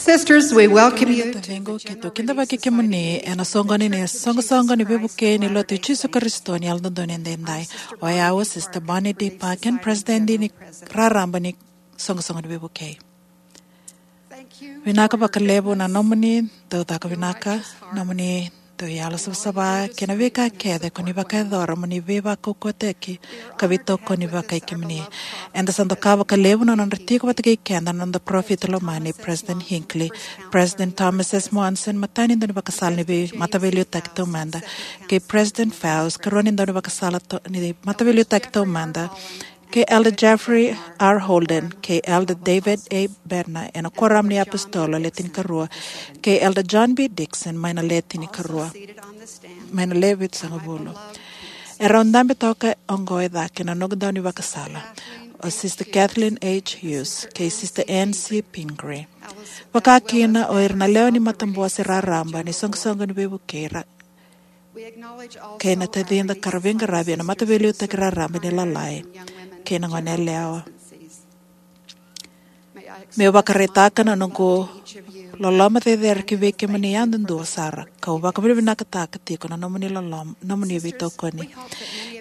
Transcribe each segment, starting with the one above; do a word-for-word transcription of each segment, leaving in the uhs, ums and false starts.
Sisters, we welcome you. Taciqu, keitou kidavaki kemuni ena soqoni ni soqosoqo ni veivukei ni Lotu i Jisu Karisito ni Yalododonu Edaidai. O yau o Sister Bonnie D. Parkin, President ni Raraba ni Soqosoqo ni Veivukei. Vinaka vakalevu na nomuni dau caka vinaka, nomuni dau yalo savasava kei na veika kece ko ni vakayacora mo ni veivakaukauwataki ka veitokoni vakai kemuni. Eda sa doka vakalevu na nodra tiko vata kei keda na noda parofita lomani, President Hinckley, President Thomas S. Monson, matani daunivakasala ni vei mataveiliutaki taumada, kei President Faust, karua ni daunivakasala to-, ni mataveiliutaki taumada, kei Elder Jeffrey R. Holden, kei Elder David A. Bednar, ena Kuoramu ni iApositolo Le Tinikarua, kei Elder John B. Dixon, mai na Le Tinikarua, mai na Le Vitusagavulu. E rau dabe toka oqo e cake na noqu daunivakasala, o Sister Kathleen H. Hughes, kei Sister Ann C. Pingree. Vakakina o ira na lewe ni matabose raraba ni soqosoqo ni veivukei ra-, kei na tacida ka ra veiqaravi ena mataveiliutaki raraba ni lalai kei na goneyalewa. Meu vakaraitaka na noqu loloma cecere ki vei kemuni yadudua sara, kau vakavinavinakataka tiko na nomuni loloma, nomuni veitokoni.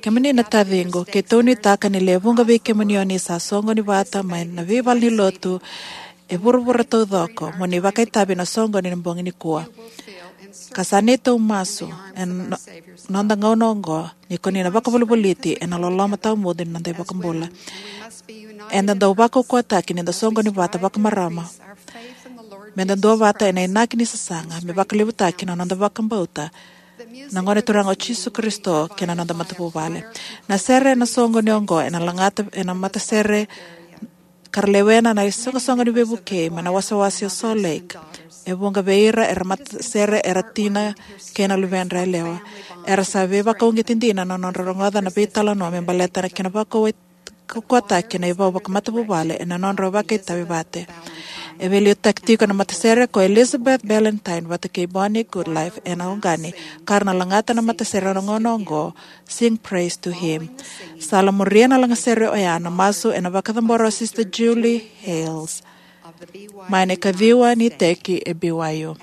Kemuni na taciqu, keitou nuitaka ni lewe vuqa vei kemuni o ni sa soqoni vata mai na veivalenilotu e vuravura taucoko mo ni vakaitavi ena soqoni ni bogi nikua. Ka sa neitou masu ena no-, noda gauna oqo ni ko ni na vakavolivoliti ena loloma tawamudu ni noda iVakabula. Eda dau vakaukauwataki ni da soqoni vata vakamarama, me da duavata ena inaki ni sasaga, me vakalevutaki na noda vakabauta na Gone Turaga o Jisu Karisito kei na noda matavuvale. Na sere ena soqoni oqo ena lagata ena matasere ka ra lewena na isoqosoqo ni veivukei mai na wasewase o Salt Lake. E vuqa vei ira era matasere era tina kei na luvedra yalewa. Era sa veivakauqeti dina na nodra rogoca na veitalanoa me baleta na kena vakauwai-, kaukautaki na ivau vakamatavuvale ena nodra vakaitavi vata. E veiliutaki tiko na matasere ko Elizabeth Ballantyne vata kei Bonnie Goodlife ena August, ka ra na lagata na matasere ena gauna oqo, Sing Praise to Him. Sa la muria na lagasere oya na masu ena vakacabora o Sister Julie Hales, mai na ikaciwa ni iteki e B Y U.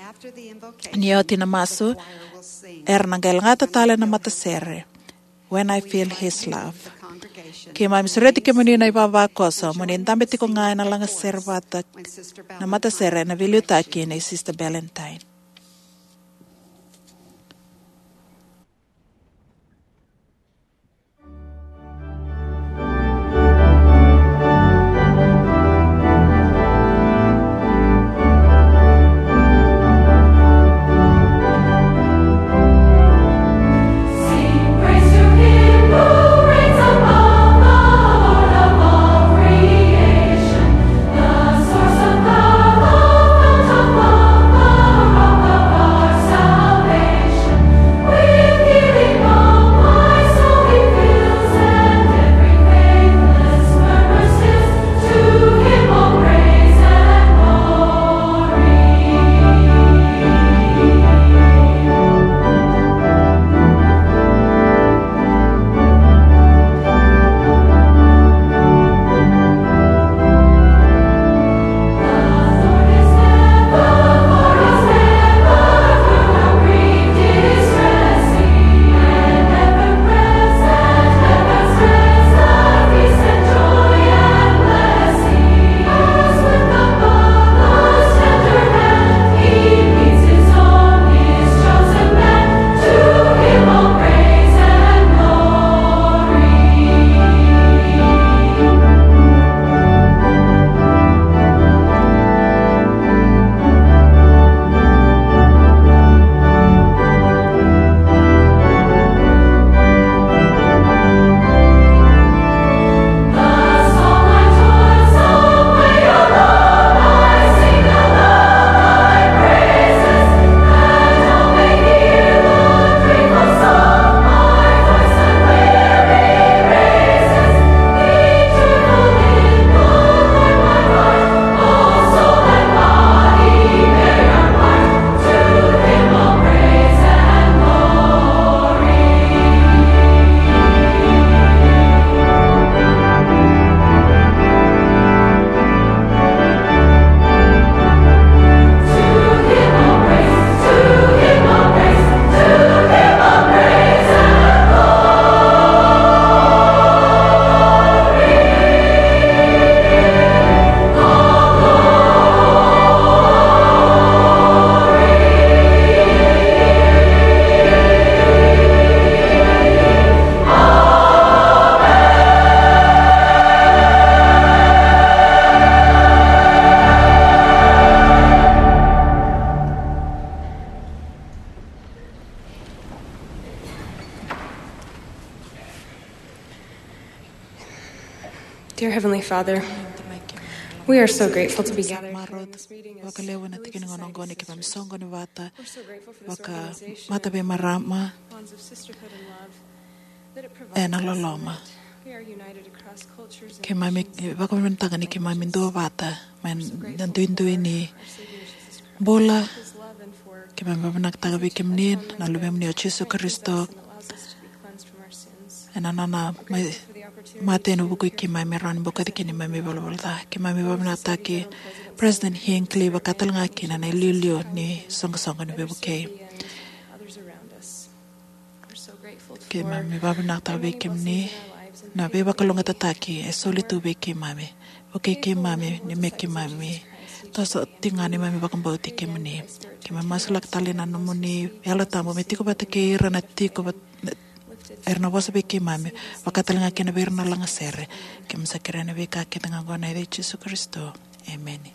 Ni oti na masu, era na qai lagata tale na matasere, When I Feel His Love. Keimami sureti kemuni na ivavakoso mo ni dabe tiko ga ena lagasere vata na matasere ena veiliutaki nei Sister Ballantyne. Dear Heavenly Father, we are so grateful to be gathered here in this meeting as vakalevu na tikina gona oqo ni keimami soqoni vata. We're so grateful for this vaka organization mata vei marama bonds of sisterhood and love that it provides ena us loloma. We are united across cultures and keimami nations. Vakavinavinakataka ni keimami duavata mai na duidui ni bula. Keimami vakavinavinakataka vei kemuni na Luvemuni o Jisu Karisito ena nona mai mate ena vuku i keimami, rawa ni bokoci keimami ivalavala ca. Keimami vakavinavinakataki President Hinckley, vaka talega kina na iliuliu ni soqosoqo ni veivukei. Keimami vakavinavinakataka vei kemuni na veivakalougatataki e soli tu vei keimami. Vukei keimami ni me keimami toso tiko ga neimami vakabauti kemuni. Keimami masulaka tale na nomuni Yalo Tabu me tiko vata kei ira na tiko vata, era na vosa vei keimami, vaka talega kina vei ira na lagasere. Keimami sa kerea na veika kece ga oqo ena yaca i Jisu Karisito. Emeni.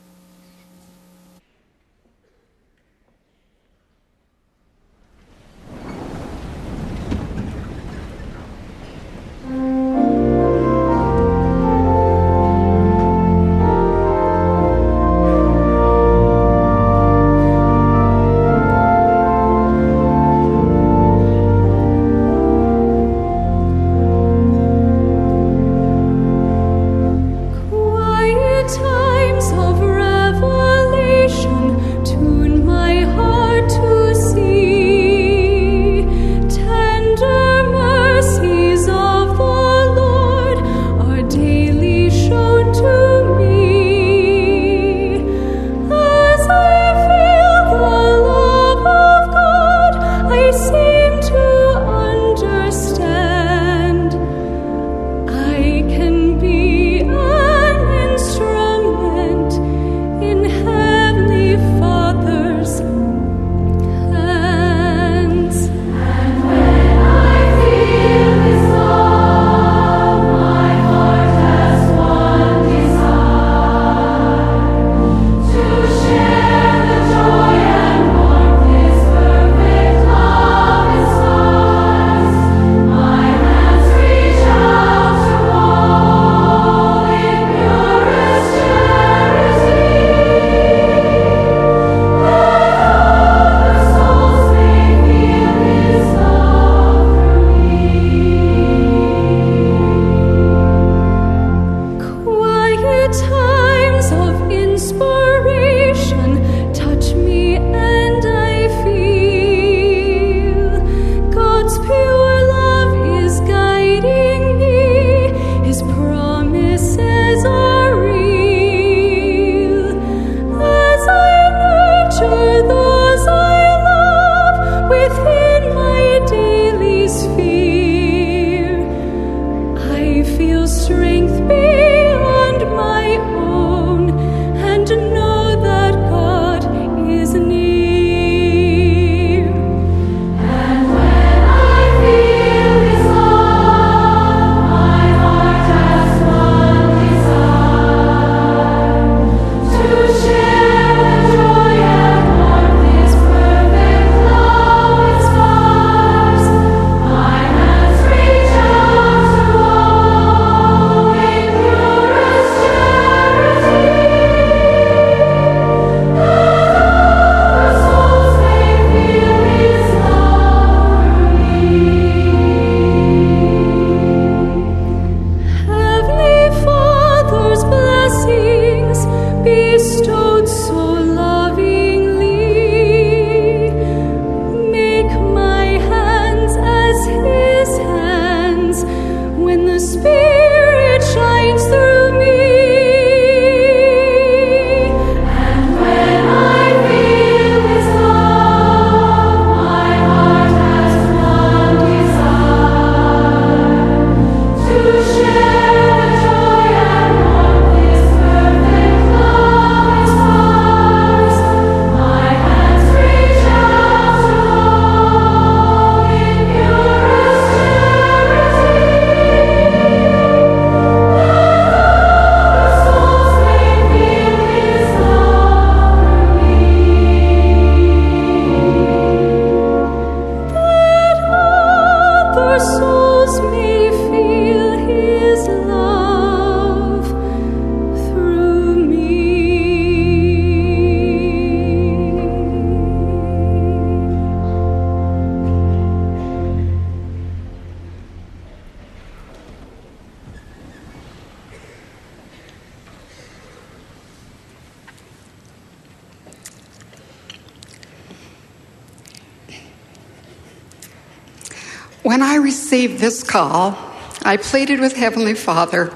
When I received this call, I pleaded with Heavenly Father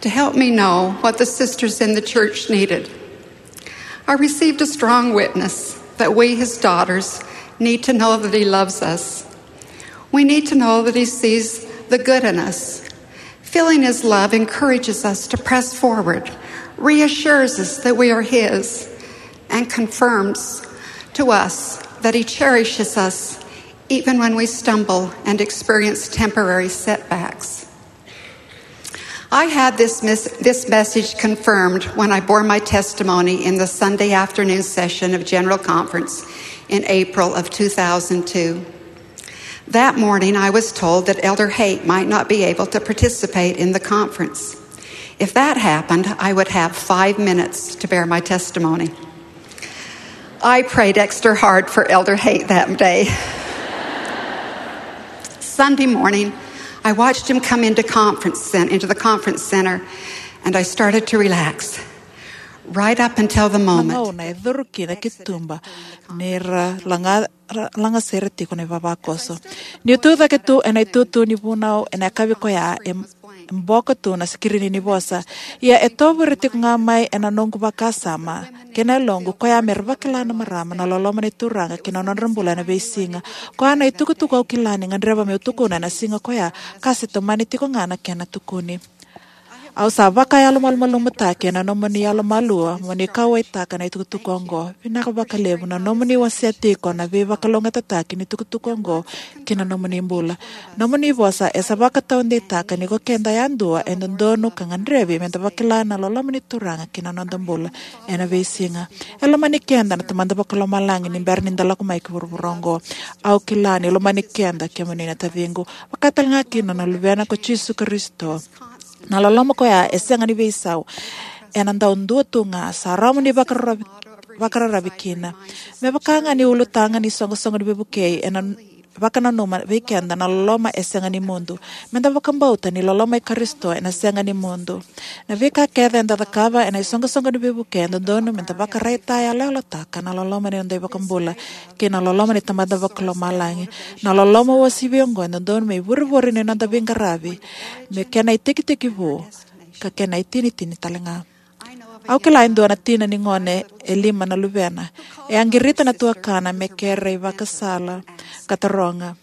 to help me know what the sisters in the church needed. I received a strong witness that we, his daughters, need to know that he loves us. We need to know that he sees the good in us. Feeling his love encourages us to press forward, reassures us that we are his, and confirms to us that he cherishes us even when we stumble and experience temporary setbacks. I had this, mis- this message confirmed when I bore my testimony in the Sunday afternoon session of General Conference in April of two thousand two. That morning, I was told that Elder Haight might not be able to participate in the conference. If that happened, I would have five minutes to bear my testimony. I prayed extra hard for Elder Haight that day. Sunday morning, I watched him come into conference cen- into the conference center, and I started to relax. Right up until the moment. Na gauna e curu kina ki tuba, ni ra laga ra- lagasere tiko na ivavakoso. Niu tu cake tu ena itutu ni vunau ena yakavi koya, e e boka tu na sikirini ni vosa. Ia e tovure tiko ga mai ena noqu vakasama kei na yaloqu, koya me ra vakila na marama na loloma ni Turaga kei na nodra bula ena veisiga. Koya na itukutuku au kila ni gadreva meu tukuna ena siga koya, ka se tomani tiko ga na kena tukuni. Au sa vakayalomalumalumutaki ena nomuni yalomalua mo ni kauwaitaka na itukutuku oqo. Vinaka vakalevu na nomuni wasea tiko na veivakalougatataki ni tukutuku oqo ki na nomuni bula. Nomuni vosa e sa vakataudeitaka ni ko keda yadua e dodonu ka gadrevi me da vakila na loloma ni Turaga ki na noda bula ena veisiga. E lomani keda na Tamada Vakalomalagi ni bera ni da lako mai ki vuravura oqo. Au kila ni lomani keda kemuni na taciqu, vakatalega kina na Luvena ko Jisu Karisito. Na loloma koya e sega ni veisau. Ena dau dua tu ga, sa rawa mo ni vakararavi, vakararavi kina. Me vaka ga ni ulutaga ni soqosoqo ni veivukei, ena vakananuma vei keda na loloma e sega ni mudu. Me da vakabauta ni loloma i Karisito ena sega ni mudu. Na veika kece eda cakava ena isoqosoqo ni veivukei e dodonu me da vakaraitayaloyalotaka na loloma ni noda iVakabula kei na loloma ni Tamada Vakalomalagi. Na loloma uasivi oqo e dodonu me ivurevure ni noda veiqaravi, me kena itekitekivu ka kena itinitini talega. Au kila e dua na tina ni gone e lima na luvena. E a qirita na tuakana me kere ivakasala ka taroga,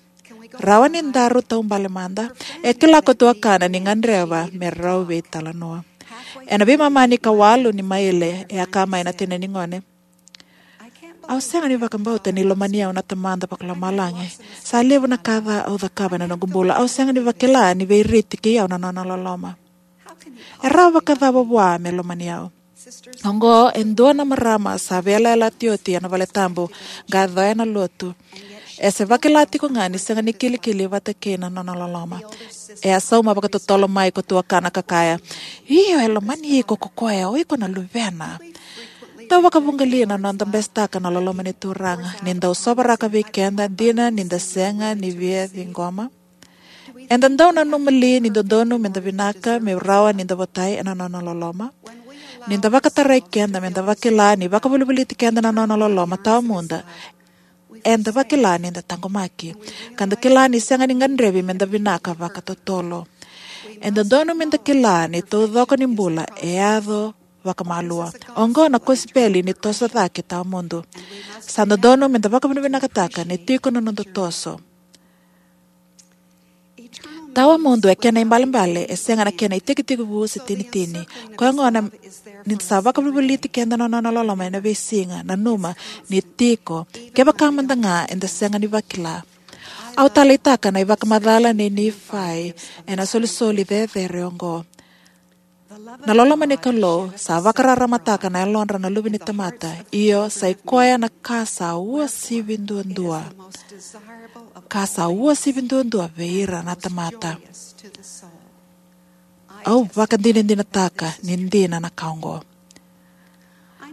"Rawa ni daru taubale mada?" E kila ko tuakana ni gadreva me rau veitalanoa. Ena veimama ni ka walu ni maile, e a kaya mai na tina ni gone, "Au sega ni vakabauta ni lomani au na Tamada Vakalomalagi. Sa levu na ka ca au cakava ena noqu bula. Au sega ni vakila ni veiriti kei au na nona loloma. E rawa vakacava vua me lomani au?" Oqo e dua na marama sa veiyalayalati oti ena valetabu, qai yaco ena lotu. E se vakila tiko ga ni sega ni kilikili vata kei na nona loloma. E a sauma vakatotolo mai ko tuakana ka kaya, "Io, e lomani iko ko koya, o iko na luvena." Dau vakavugalici na noda besetaka na loloma ni Turaga ni dau sovaraka vei keda, dina ni da sega ni via ciqoma. Eda dau nanuma li ni dodonu me da vinaka me rawa ni da votai ena nona loloma? Ni da vakatarai keda me da vakila ni vakavolivoliti keda na nona loloma tawamudu, eda vakila ni da taqomaki, ka da kila ni sega ni gadrevi me da vinaka vakatotolo. E dodonu me da kila ni taucoko ni bula e yaco vakamalua. Oqo na kosipeli ni toso cake tawamudu. Sa dodonu me da vakavinavinakataka ni tiko na noda toso. Tawamudu e kena ibalebale, e sega na kena itekitekivu se tinitini. Koya gona ni sa vakavolivoliti keda na nona loloma ena veisiga, nanuma ni tiko, kevaka mada ga eda sega ni vakila. Au taleitaka na ivakamacala nei Nifai ena isolisoli cecere oqo. Na loloma ni Kalou sa vakararamataka na yalodra na luve ni tamata, io, sa i koya na ka sa uasivi duadua. Ka sa uasivi duadua vei ira na tamata. Au vakadinadinataka ni dina na ka oqo.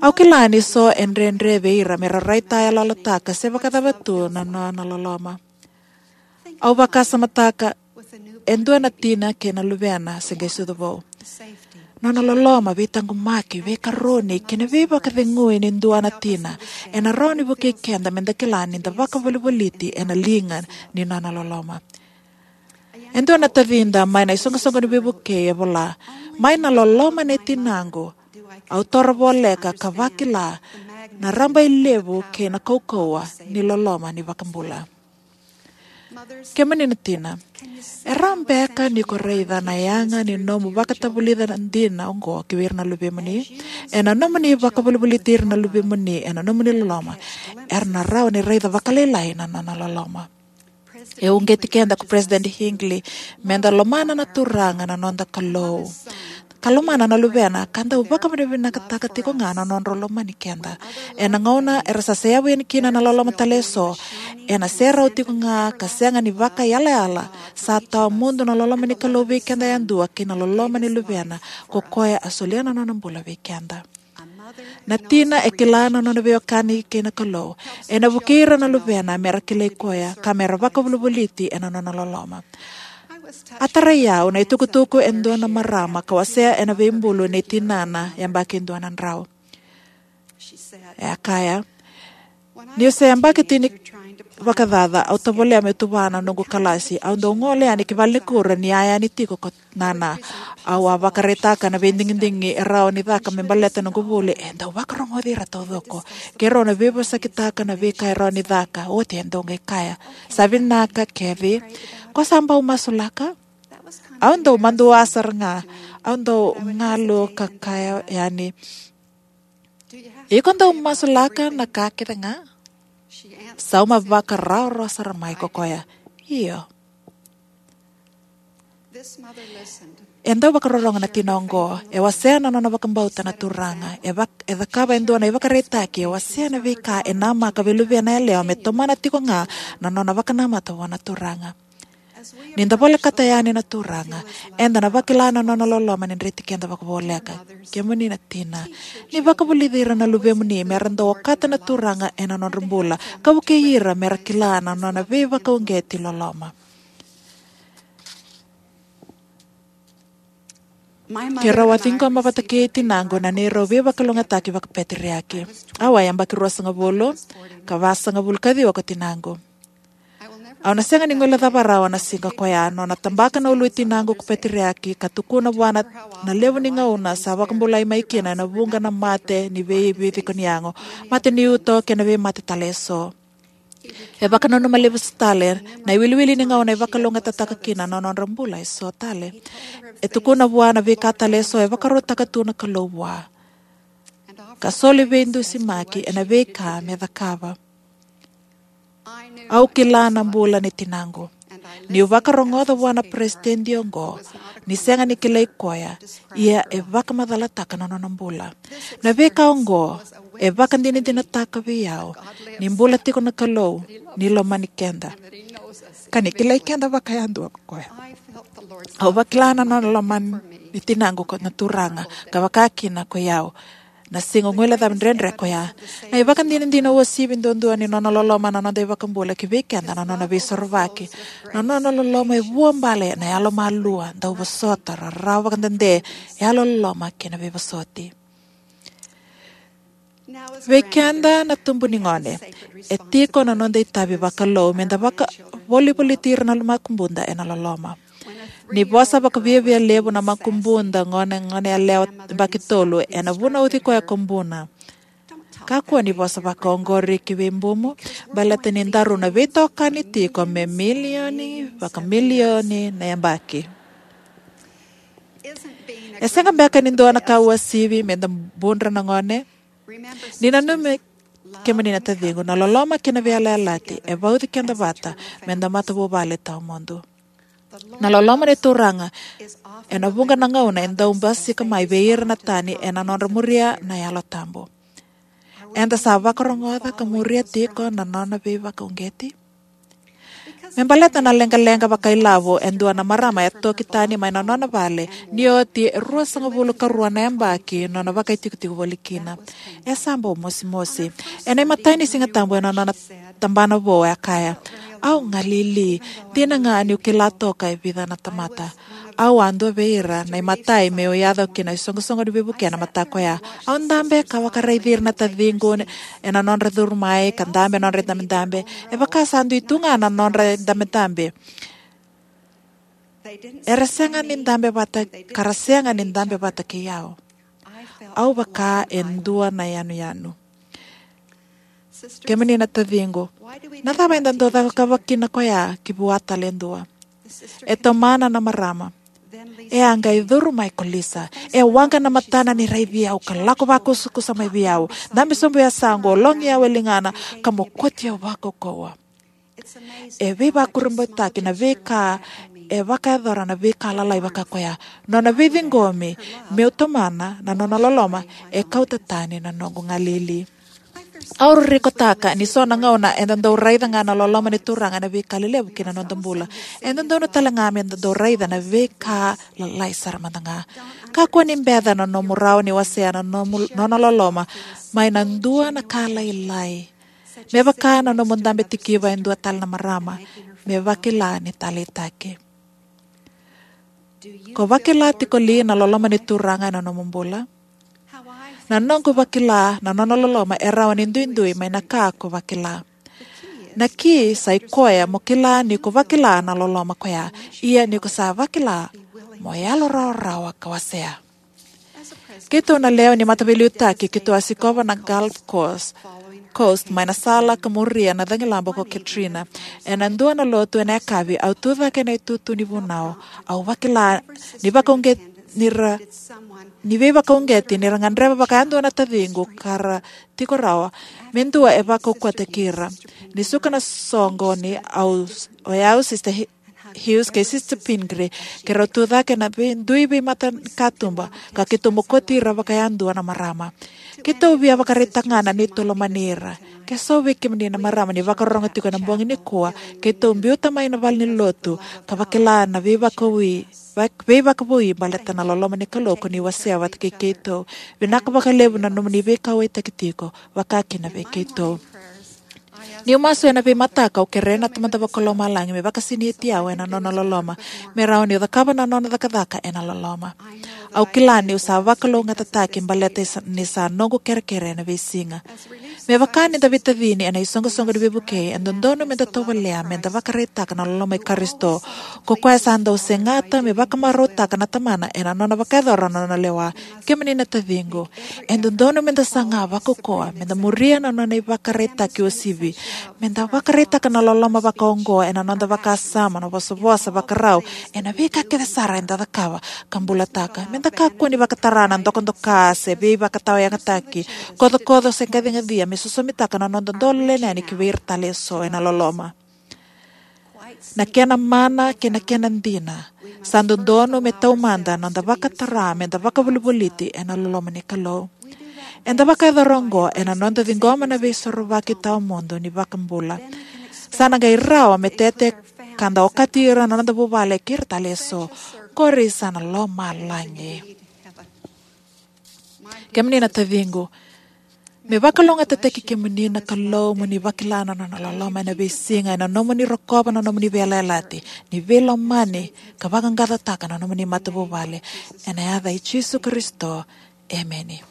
Au kila ni so e dredre vei ira me ra raitayaloyalotaka se vakacava tu na nona loloma. Au vakasamataka e dua na tina kei na luvena se qai sucu vou. Nona loloma, veitaqomaki, veikaroni kei na veivakacegui ni dua na tina ena rawa ni vukei keda me da kila ni da vakavolivoliti ena liga ni nona loloma. E dua na tacida mai na iSoqosoqo ni Veivukei e vola: "Mai na loloma nei tinaqu, au toro voleka ka vakila na rabailevu kei na kaukauwa ni loloma ni iVakabula." Kemuni na tina, e rawa beka ni ko raica na yaga ni nomu vakatavulica dina oqo ki vei ira na luvemuni? Ena nomuni vakavolivoliti ira na luvemuni ena nomuni loloma, era na rawa ni raica vakalailai na nona loloma. E uqeti keda ko President Hinckley meda lomana na Turaga na noda Kalou, ka lomana na Luvena, ka dau vakavinavinakataka tiko ga na nodrau lomani keda. Ena gauna era sa seyavu yani kina na loloma tale eso, ena serau tiko ga ka sega ni vakaiyalayala, sa tawamudu na loloma ni Kalou vei keda yadua kei na loloma ni Luvena, ko koya a solia na nona bula vei keda. Na tina e kila na nona veiwekani kei na Kalou. Ena vukei ira na luvena mera kilai koya, ka mera vakavolivoliti ena nona loloma. A tarai au na itukutuku e dua na marama ka wasea ena veibulu nei tinana yabaki dua na drau. E a kaya: "Niu se yabaki tini vakacaca, au tovolea meu tuva na noqu kalasi. Au dau gole yani ki valenikuro ni a yani tiko ko nana. Au a vakaraitaka na veidigidigi e rawa ni caka me baleta noqu vuli. E dau vakarogoci ira taucoko. Keirau na veivosakitaka na veika e rawa ni caka." Oti e dau qai kaya: "Sa vinaka, Kathy. Ko sa bau masulaka?" Au dau madua sara ga. Au dau galu ka kaya yani: "Iko dau masulaka na ka kece ga?" Sauma vakarawarawa sara mai ko koya: "Io." E dau vakarorogo na tina oqo. E wasea na nona vakabauta na Turaga. E vak-, e cakava e dua na ivakaraitaki. E wasea na veika e namaka vei luvena yalewa me tomana tiko ga na nona vakanamata vua na Turaga. Ni da volekata yani na Turaga, eda na vakila na nona loloma ni dreti keda vakavoleka. Kemuni na tina, ni vakavulici ira na luvemuni mera dau okata na Turaga ena nodra bula, ka vukei ira mera kila na nona veivakauqeti loloma. Keirau a ciqoma vata kei tinaqu na neirau veivakalougatataki vakapeteriaki. Au a yabaki ruasagavulu, ka vasagavulu ka ciwa ko tinaqu. Au na sega ni guilecava rawa na siga ko ya, nona tabaka na ulu i tinaqu ko peteriaki, ka tukuna vua na, na levu ni gauna sa vakabulai mai kina ena vuqa na mate ni veiviciko ni yago, mate ni uto kei na veimate tale eso. E vakananuma levu tale na iwiliwili ni gauna e vakalougatataka kina na nodra bula eso tale. E tukuna vua na veika tale eso e vakarautaka tu na Kalou vua, ka soli veidusimaki ena veika me cakava. Au kila na bula ni tinaqu. Niu vakarogoca vua na peresitedi oqo ni sega ni kilai koya, ia e vakamacalataka na nona bula. Na veika oqo e vakadinadinataka vei au ni bula tiko na Kalou, ni lomani keda, ka ni kilai keda vakayadua ko koya. Au vakila na nona lomani tinaqu ko na Turaga, ka vakakina ko i au, na siga guilecavi dredre ko ya. Na ivakadinadina uasivi duadua ni nona loloma na noda iVakabula ki vei keda na nona veisorovaki. Na nona loloma e vuabale na yalomalua, dauvosota, rarawa vakadede, yalololoma kei na veivosoti. Vei keda na tubu ni gone, e tiko na noda itavi vakalou meda vakavolivoliti ira na makubuda ena loloma. Ni vosa vakaviavia levu na makubuda gone, gone yalewa yabaki tolu, ena vunauci koya ko buna. Kakua ni vosa vakaoqori ki vei bumu, baleta ni daru na veitokani tiko me milioni vakamilioni na yabaki. E sega beka ni dua na ka uasivi meda budra na gone? Ni nanumi, kemuni na taciqu, na loloma kei na veiyalayalati e vauci keda vata meda matavuvale tawamudu. Na loloma ni Turaga ena vuqa na gauna e dau basika mai vei ira na tani ena nodra muria na Yalo Tabu. Eda sa vakarogoca ka muria tiko na nona veivakauqeti? Me baleta na leqaleqa vakailavo e dua na marama e toki tani mai na nona vale, ni oti e ruasagavulu ka rua na yabaki nona vakaitikotiko voli kina. E sa bau mosimosi. Ena imatai ni Siga Tabu ena nona tabana vou, e a kaya: "Au galili, dina ga niu kila toka e vica na tamata. Au a dua vei ira na imatai meu yaco ki na iSoqosoqo ni Veivukei ena mataka oya. Au dabe ka vakaraici ira na taciqu ena nodra curu mai, ka dabe ena nodra idabedabe. E vaka sa dui tu ga na nodra idabedabe. Era sega ni dabe vata, ka ra sega ni dabe vata kei au. Au vaka e dua na yanuyanu. Kemuni na taciqu, na cava eda dau cakava kina koya ki vua tale e dua? E tomana na marama. E a qai curu mai ko Lisa. E waqa na matana ni raici au ka lako vakusakusa mai vei au. Dabe sobu e yasaqu, logi au e ligana, ka mokoti au vakaukauwa. E veivakurabuitaki na veika e vakayacora na veika lalai vaka koya. Nona veiciqomi meu tomana na nona loloma e kauta tani na noqu galili. Au ririkotaka ni so na gauna eda dau raica ga na loloma ni Turaga ena veika lelevu ki na noda bula. E dodonu tale ga me da dau raica na veika lalai sara mada ga. Kakua ni beca na nomu rawa ni wasea na nomu, nona loloma mai na dua na ka lailai. Me vaka na nomu dabe tikiva e dua tale na marama, me vakila ni taleitaki. Ko vakila tiko li na loloma ni Turaga ena nomu bula? Na noqu vakila na nona loloma e rawa ni duidui mai na ka ko vakila. Na ki sa i koya mo kila ni ko vakila na loloma koya, ia ni ko sa vakila mo yalorawarawa ka wasea. Keitou na lewe ni mataveiliutaki, keitou a sikova na Gulf Coast, Coast mai na sala ka muria na cagilaba ko Katrina. Ena dua na lotu ena yakavi, au tucake ena itutu ni vunau. Au vakila ni vakauqeti ni ra, ni veivakauqeti ni ra gadreva vakayadua na taciqu ka ra tiko rawa me dua e vakaukauwataki ira. Ni suka na soqoni, au, o yau, Sister Hi-, Hughes kei Sister Pingree, keirau tucake ena vei-, dui veimatakatuba, ka keitou mokoti ira vakayadua na marama. Keitou via vakaraitaka ga na neitou lomani ira. Ke so vei kemuni na marama ni vakarorogo tiko ena bogi nikua, keitou biuta mai na valenilotu ka vakila na veivakavoui, vak-, veivakavoui baleta na loloma ni Kalou ko ni wasea vata kei keitou. Vinaka vakalevu na nomuni veikauwaitaki tiko, vaka kina vei keitou. Niu masu ena veimataka, au kerea na Tamada Vakalomalagi me vakasinaiti au ena nona loloma, me rawa niu cakava na nona cakacaka ena loloma. Au kila niu sa vakalougatataki baleta ni sa, ni sa noqu kerekere ena veisiga. Me vaka ni da veitacini ena isoqosoqo ni veivukei, e dodonu me da tovolea me da vakaraitaka na loloma i Karisito. Ko koya sa dau segata me vakamarautaka na Tamana ena nona vakayacora na nona lewa. Kemuni na taciqu, e dodonu me da saga vakaukauwa me da muria na nona ivakaraitaki uasivi, me da vakaraitaka na loloma vakaoqo ena noda vakasama, na vosavosa, vakarau, ena veika kece sara eda cakava ka bulataka. Me da kakua ni vakatara na dokadoka se veivakatawayagataki, kocokoco se qaciqacia me sosomitaka na noda dolo lelevu yani ki vei ira tale eso ena loloma. Na kena mana kei na kena dina, sa dodonu me taumada na noda vakatara me da vakavolivoliti ena loloma ni Kalou. Eda vakayacora oqo ena noda ciqoma na veisorovaki tawamudu ni iVakabula. Sa na qai rawa me tete ka da okati ira na noda vuvale kei ira tale eso. Qori sa na lomalagi. Kemuni na taciqu, me vakalougatataki kemuni na Kalou mo ni vakila na nona loloma ena veisiga ena nomuni rokova na nomuni veiyalayalati, ni veilomani ka vaqaqacotaka na nomuni matavuvale. Ena yaca i Jisu Karisito, emeni.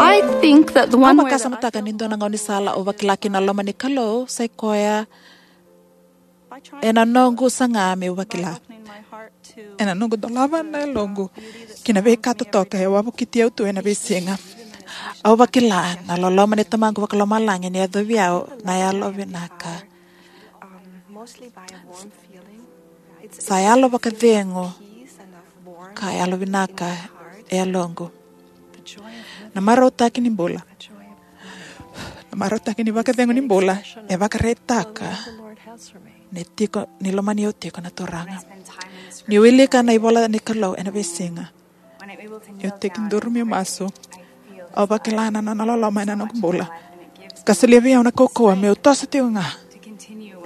I think that the one Au way that I vakasamataka ni dua na gaunisala au vakila kina na loma ni Kalou sa i koya ena noqu saga meu vakila. Ena noqu dolava na yaloqu ki na veika totoka e wavokiti au tu ena veisiga. Au vakila na loloma ni Tamaqu Vakalomalagi ni yacovi au na yalovinaka. Sa yalo vakacegu ka yalovinaka e yaloqu. Na marautaki ni bula. Na marautaki ni vakacegu ni bula e vakaraitaka ni tiko, ni lomani au tiko na Turaga. Niu wilika na ivola ni Kalou ena veisiga, niu tekiduru meu masu, au vakila na nona loloma ena noqu bula ka solia vei au na kaukauwa meu toso tiko ga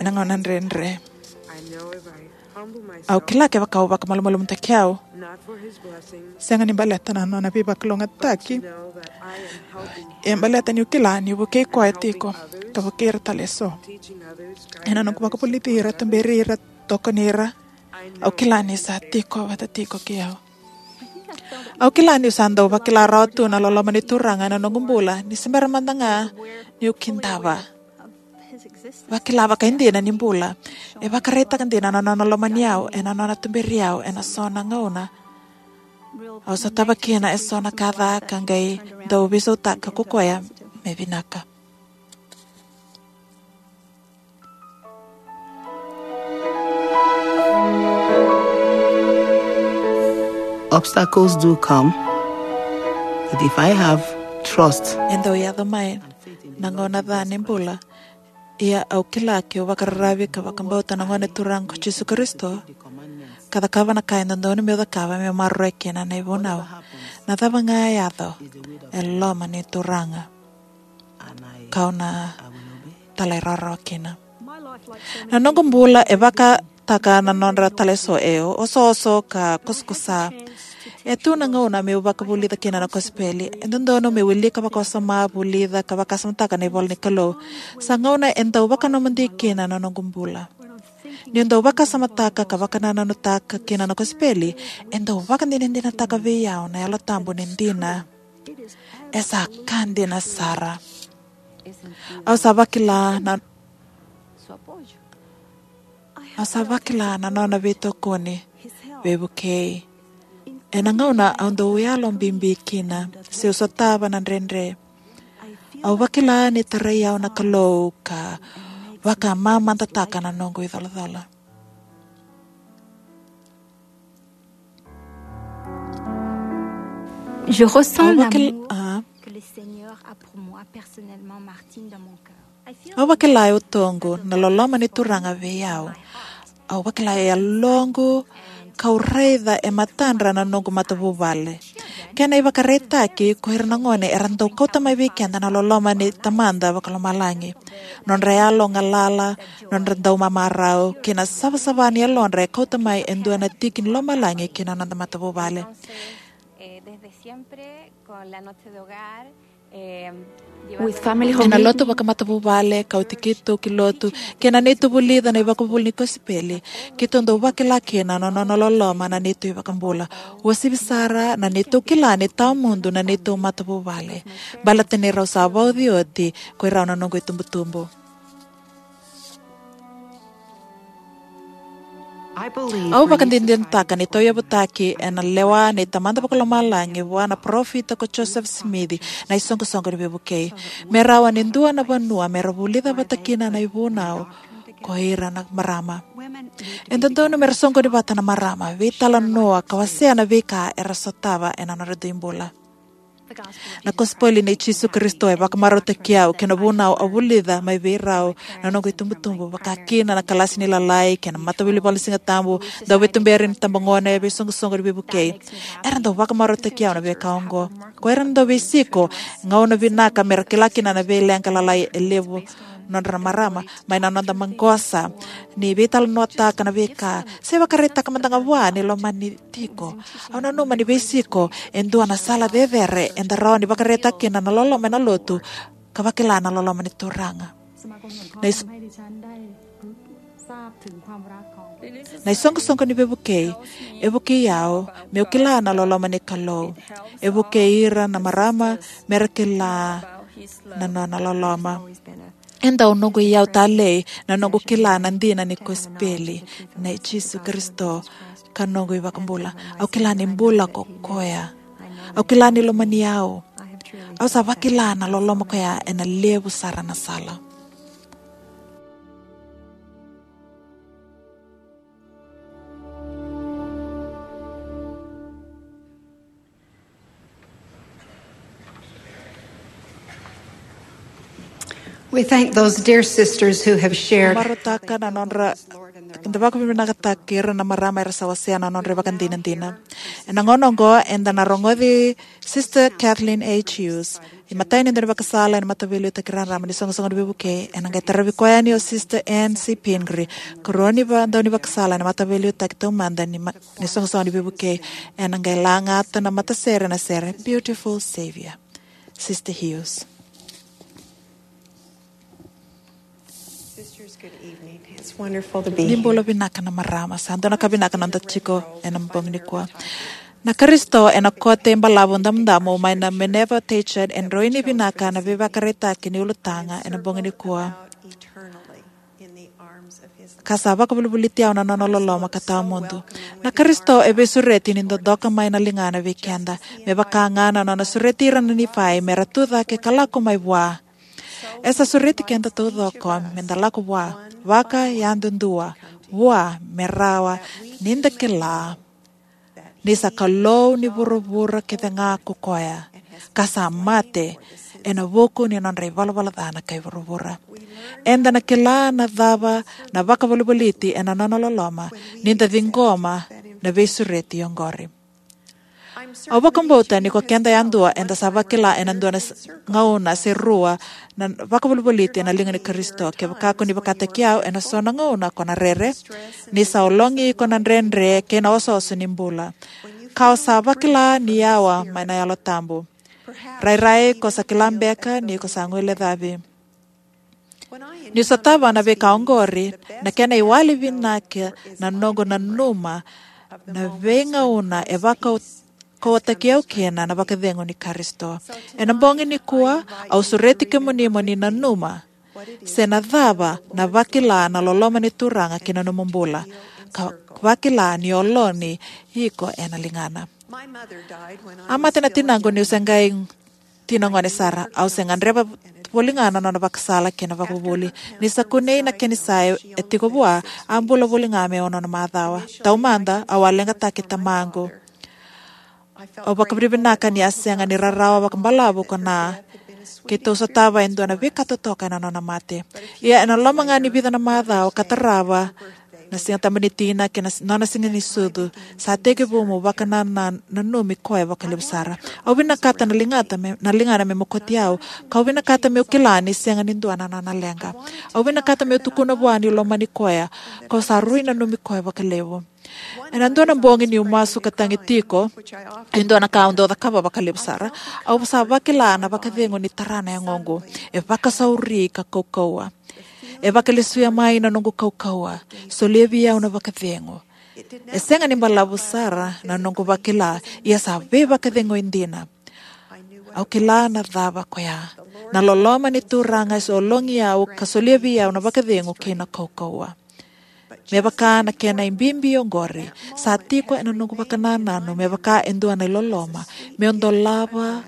ena gauna dredre. Au kila kevaka au vakamalumalumutaki au, sega ni baleta na nona veivakalougatataki, ia baleta niu kila niu vukei koya tiko ka vukei ira tale eso. Ena noqu vakavulici ira, tuberi ira, tokoni ira, au kila ni sa tiko vata tiko kei au. Au kila niu sa dau vakila rawa tu na loloma ni Turaga ena noqu bula ni se bera mada ga niu kidava. Vakila vakaidina ni bula. E vakaraitaka dina na nona lomani au ena nona tuberi au ena so na gauna au sotava kina eso na ka ca ka qai dau veisautaka ko koya me vinaka. Obstacles do come, but if I have trust, e dau yaco mai na gauna ca ni bula. Ia au kila keu vakararavi ka vakabauta na Gone Turaga ko Jisu Karisito, ka cakava na ka e dodonu meu cakava meu maroroya kina na ivunau. Na cava ga e yaco, e loma ni Turaga. Kau na talairawarawa kina. Na noqu bula e vakataka na nodra taleso, e osooso ka kosakosa. E tu na gauna meu vakavulica kina na kosipeli. E dodonu meu wilika vakawasoma, vulica ka vakasamataka na ivola ni Kalou. Sa gauna e dau vakanomodi kina na noqu bula. Niu dau vakasamataka ka vakanananutaka kina na kosipeli, e dau vakadinadinataka vei au na Yalo Tabu ni dina. E sa ka dina sara. Au sa vakila na, au sa vakila na nona veitokoni, veivukei. Ena gauna au dau yalo bibi kina, se au sotava na dredre, au vakila ni tarai au na Kalou ka vakamamadataka na noqu icolacola. Je ressens Au vakil-, l'amour ah. que le Seigneur a pour moi personnellement, Martine, dans mon cœur. I feel Au vakila e utoqu na loloma ni Turaga vei au. Au vakila e yaloqu, kau raica e matadra na noqu matavuvale. Kena ivakaraitaki, ko ira na gone era dau kauta mai vei keda na loloma ni Tamada Vakalomalagi. Nodra yalo galala, nodra dau mamarau, kei na savasava ni yalodra e kauta mai e dua na tiki ni lomalagi ki na noda matavuvale. Eh, desde siempre, con la noche de hogar, eh, With family home Ena lotu meeting. Vakamatavuvale, kauti keitou ki lotu, kei na neitou vulica na ivakavuvuli ni kosipeli, keitou dau vakila kina na nona loloma na neitou iVakabula. Uasivi sara na neitou kila ni tawamudu na neitou matavuvale. Baleta ni rau sa vauci oti ko irau na noqu itubutubu. I believe Au vakadinadinataka ni tauyavutaki ena lewa ni Tamada Vakalomalagi vua na parofita ko Joseph Smith na isoqosoqo ni veivukei. Me rawa ni dua na vanua me ra vulica vata kina na ivunau ko ira na marama. E dodonu me ra soqoni vata na marama, veitalanoa ka wasea na veika era sotava ena nodra dui bula. Na kosipeli nei Jisu Karisito e vakamarautaki au kei na vunau au vulica mai vei rau na noqu itubutubu, vaka kina na kalasi ni lalai kei na Mataveiliutaki Valenisigatabu, Dauveituberi ni iTabagone, veisoqosoqo ni veivukei. Era dau vakamarautaki au na veika oqo. Ko ira na dauveisiko, gauna vinaka me ra kila kina na veileqa lalai e levu nodra na marama, mai na noda maqosa ni veitalanoataka na veika, se vakaraitaka mada ga vua ni lomani tiko. Au nanuma ni veisiko e dua na sala cecere eda rawa ni vakaraitaka kina na loloma ena lotu, ka vakila na loloma ni Turaga. Na is-, na isoqosoqo ni veivukei e vukei au meu kila na loloma ni Kalou. E vukei ira na marama me ra kila na nona loloma. E dau noqu iyau talei na noqu kila na dina ni kosipeli nei Jisu Karisito ka noqu iVakabula. Au kila ni bula ko koya. Au kila ni lomani au. Au sa vakila na loloma koya ena levu sara na sala. We thank those dear sisters who have shared. Marautaka na nodra, da vakavinavinakataka ira na marama era sa wasea na nodra ivakadinadina. Ena gauna oqo eda na rogoci Sister Kathleen H. Hughes, imatai ni daunivakasala ena Mataveiliutaki Raraba ni iSoqosoqo ni Veivukei. Ena qai taravi koya yani o Sister Ann C. Pingree, karua ni va-, daunivakasala ena Mataveiliutaki Taumada ni ma-, ni iSoqosoqo ni Veivukei. Ena qai lagata na matasere ena sere Beautiful Savior. Sister Hughes. Sisters, good evening. It's wonderful to be here. Ni bula vinaka na marama, sa dua na ka vinaka noda tiko ena bogi nikua. Na Karisito ena Kote Balavu Damudamu mai na Minerva Tate e droini vinaka na veivakaraitaki ni ulutaga ena bogi nikua, ka sa vakavolivoliti au na nona loloma ka tawamudu. Na Karisito e veisureti ni dodoka mai na ligana vei keda, me vaka ga na nona sureti ira na Nifai me ra tu cake ka lako mai vua. E sa sureti keda taucoko me da lako vua, vakayadudua vua, me rawa ni da kila ni sa Kalou ni vuravura kece ga ko koya, ka sa mate ena vuku ni nodra ivalavala ca na kai vuravura. Eda na kila na cava na vakavolivoliti ena nona loloma ni da ciqoma na veisureti oqori. Au vakabauta ni ko keda yadua eda sa vakila ena dua na s-, gauna se rua na vakavolivoliti ena liga ni Karisito. Kevaka ko ni vakataki au, ena so na gauna ko na rere, ni sa ologi iko na dredre kei na osooso ni bula, ka o sa vakila ni yawa mai na Yalo Tabu. Rairai ko sa kila beka ni ko sa guilecavi. Niu sotava na veika oqori, na kena iwali vinaka na noqu nanuma na veigauna e vakau-, kauwataki au kina na vakacegu ni Karisito. Ena bogi nikua, au sureti kemuni mo ni nanuma se na cava na vakila na loloma ni Turaga ki na nomu bula, ka vakila ni ologi iko ena ligana. A mate na tinaqu niu se qai tina gone sara. Au se gadreva voli ga na nona vakasala kei na vakavuvuli. Ni sa kunei na kenisa e tiko vua, a bula voli ga me ono na macawa. Taumada, au a leqataki tamaqu. Au vakavinavinaka ni a sega ni rarawa vakabalavu ko Na, keitou sotava e dua na veika totoka ena nona mate. Ia ena loma ga ni vica na macawa ka tarava na Siga Tabu ni Tina kei na s-, nona siga ni sucu, sa tekivu meu vakananumi koya vakalevu sara. Au vinakata na ligata me, na ligana me mokoti au, kau vinakata meu kila ni sega ni dua na nona leqa. Au vinakata meu tukuna vua niu lomani koya, kau sa rui nanumi koya vakalevu. Ena dua na bogi niu masu ka tagi tiko, e dua na ka au dau cakava vakalevu sara, au sa vakila na vakacegu ni tara na yagoqu. E vakasauri ka kaukauwa. E vakalesuya mai na noqu kaukauwa, solia vei au na vakacegu. E sega ni balavu sara na noqu vakila, ia sa veivakacegui dina. Au kila na cava koya. Na loloma ni Turaga e ologi au ka solia vei au na vakacegu kei na kaukauwa. Me vaka na kena ibibi oqori, sa tiko ena noqu vakanananu me vaka e dua na iloloma meu dolava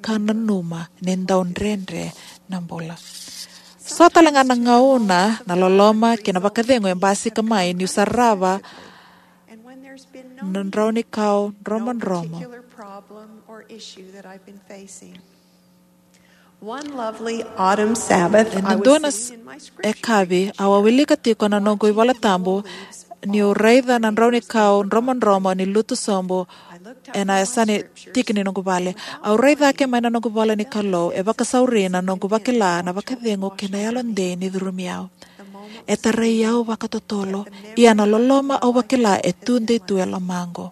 ka nanuma ni dau dredre na bula. So tale ga na gauna na loloma kei na vakacegu e basika mai niu sarava na draunikau dromodromo. One lovely autumn Sabbath, I was sitting in my scripture reading. Ena dua na s-, yakavi, au a wilika tiko na noqu iVola Tabu, niu raica na draunikau dromodromo ni lutu sobu ena yasa ni tiki ni noqu vale. Au rai cake mai na noqu ivola ni Kalou, e vakasauri na noqu vakila na vakacegu kei na yalodei ni curumi au. E tarai au vakatotolo, ia na loloma au vakila e tudei tu e lomaqu.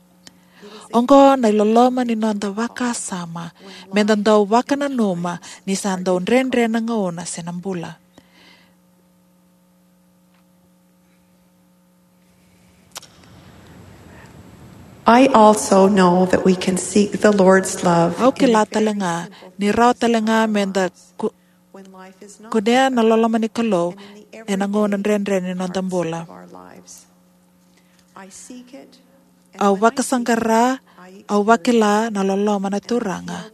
Oqo na iloloma ni noda vakasama, meda dau vakananuma ni sa dau dredre na gauna se na bula. I also know that we can seek the Lord's love. Au kila tale ga ni rawa tale ga meda ku-, kunea na loloma ni Kalou ena gauna dredre ni noda bula. Au vakasaqara, au vakila na loloma na Turaga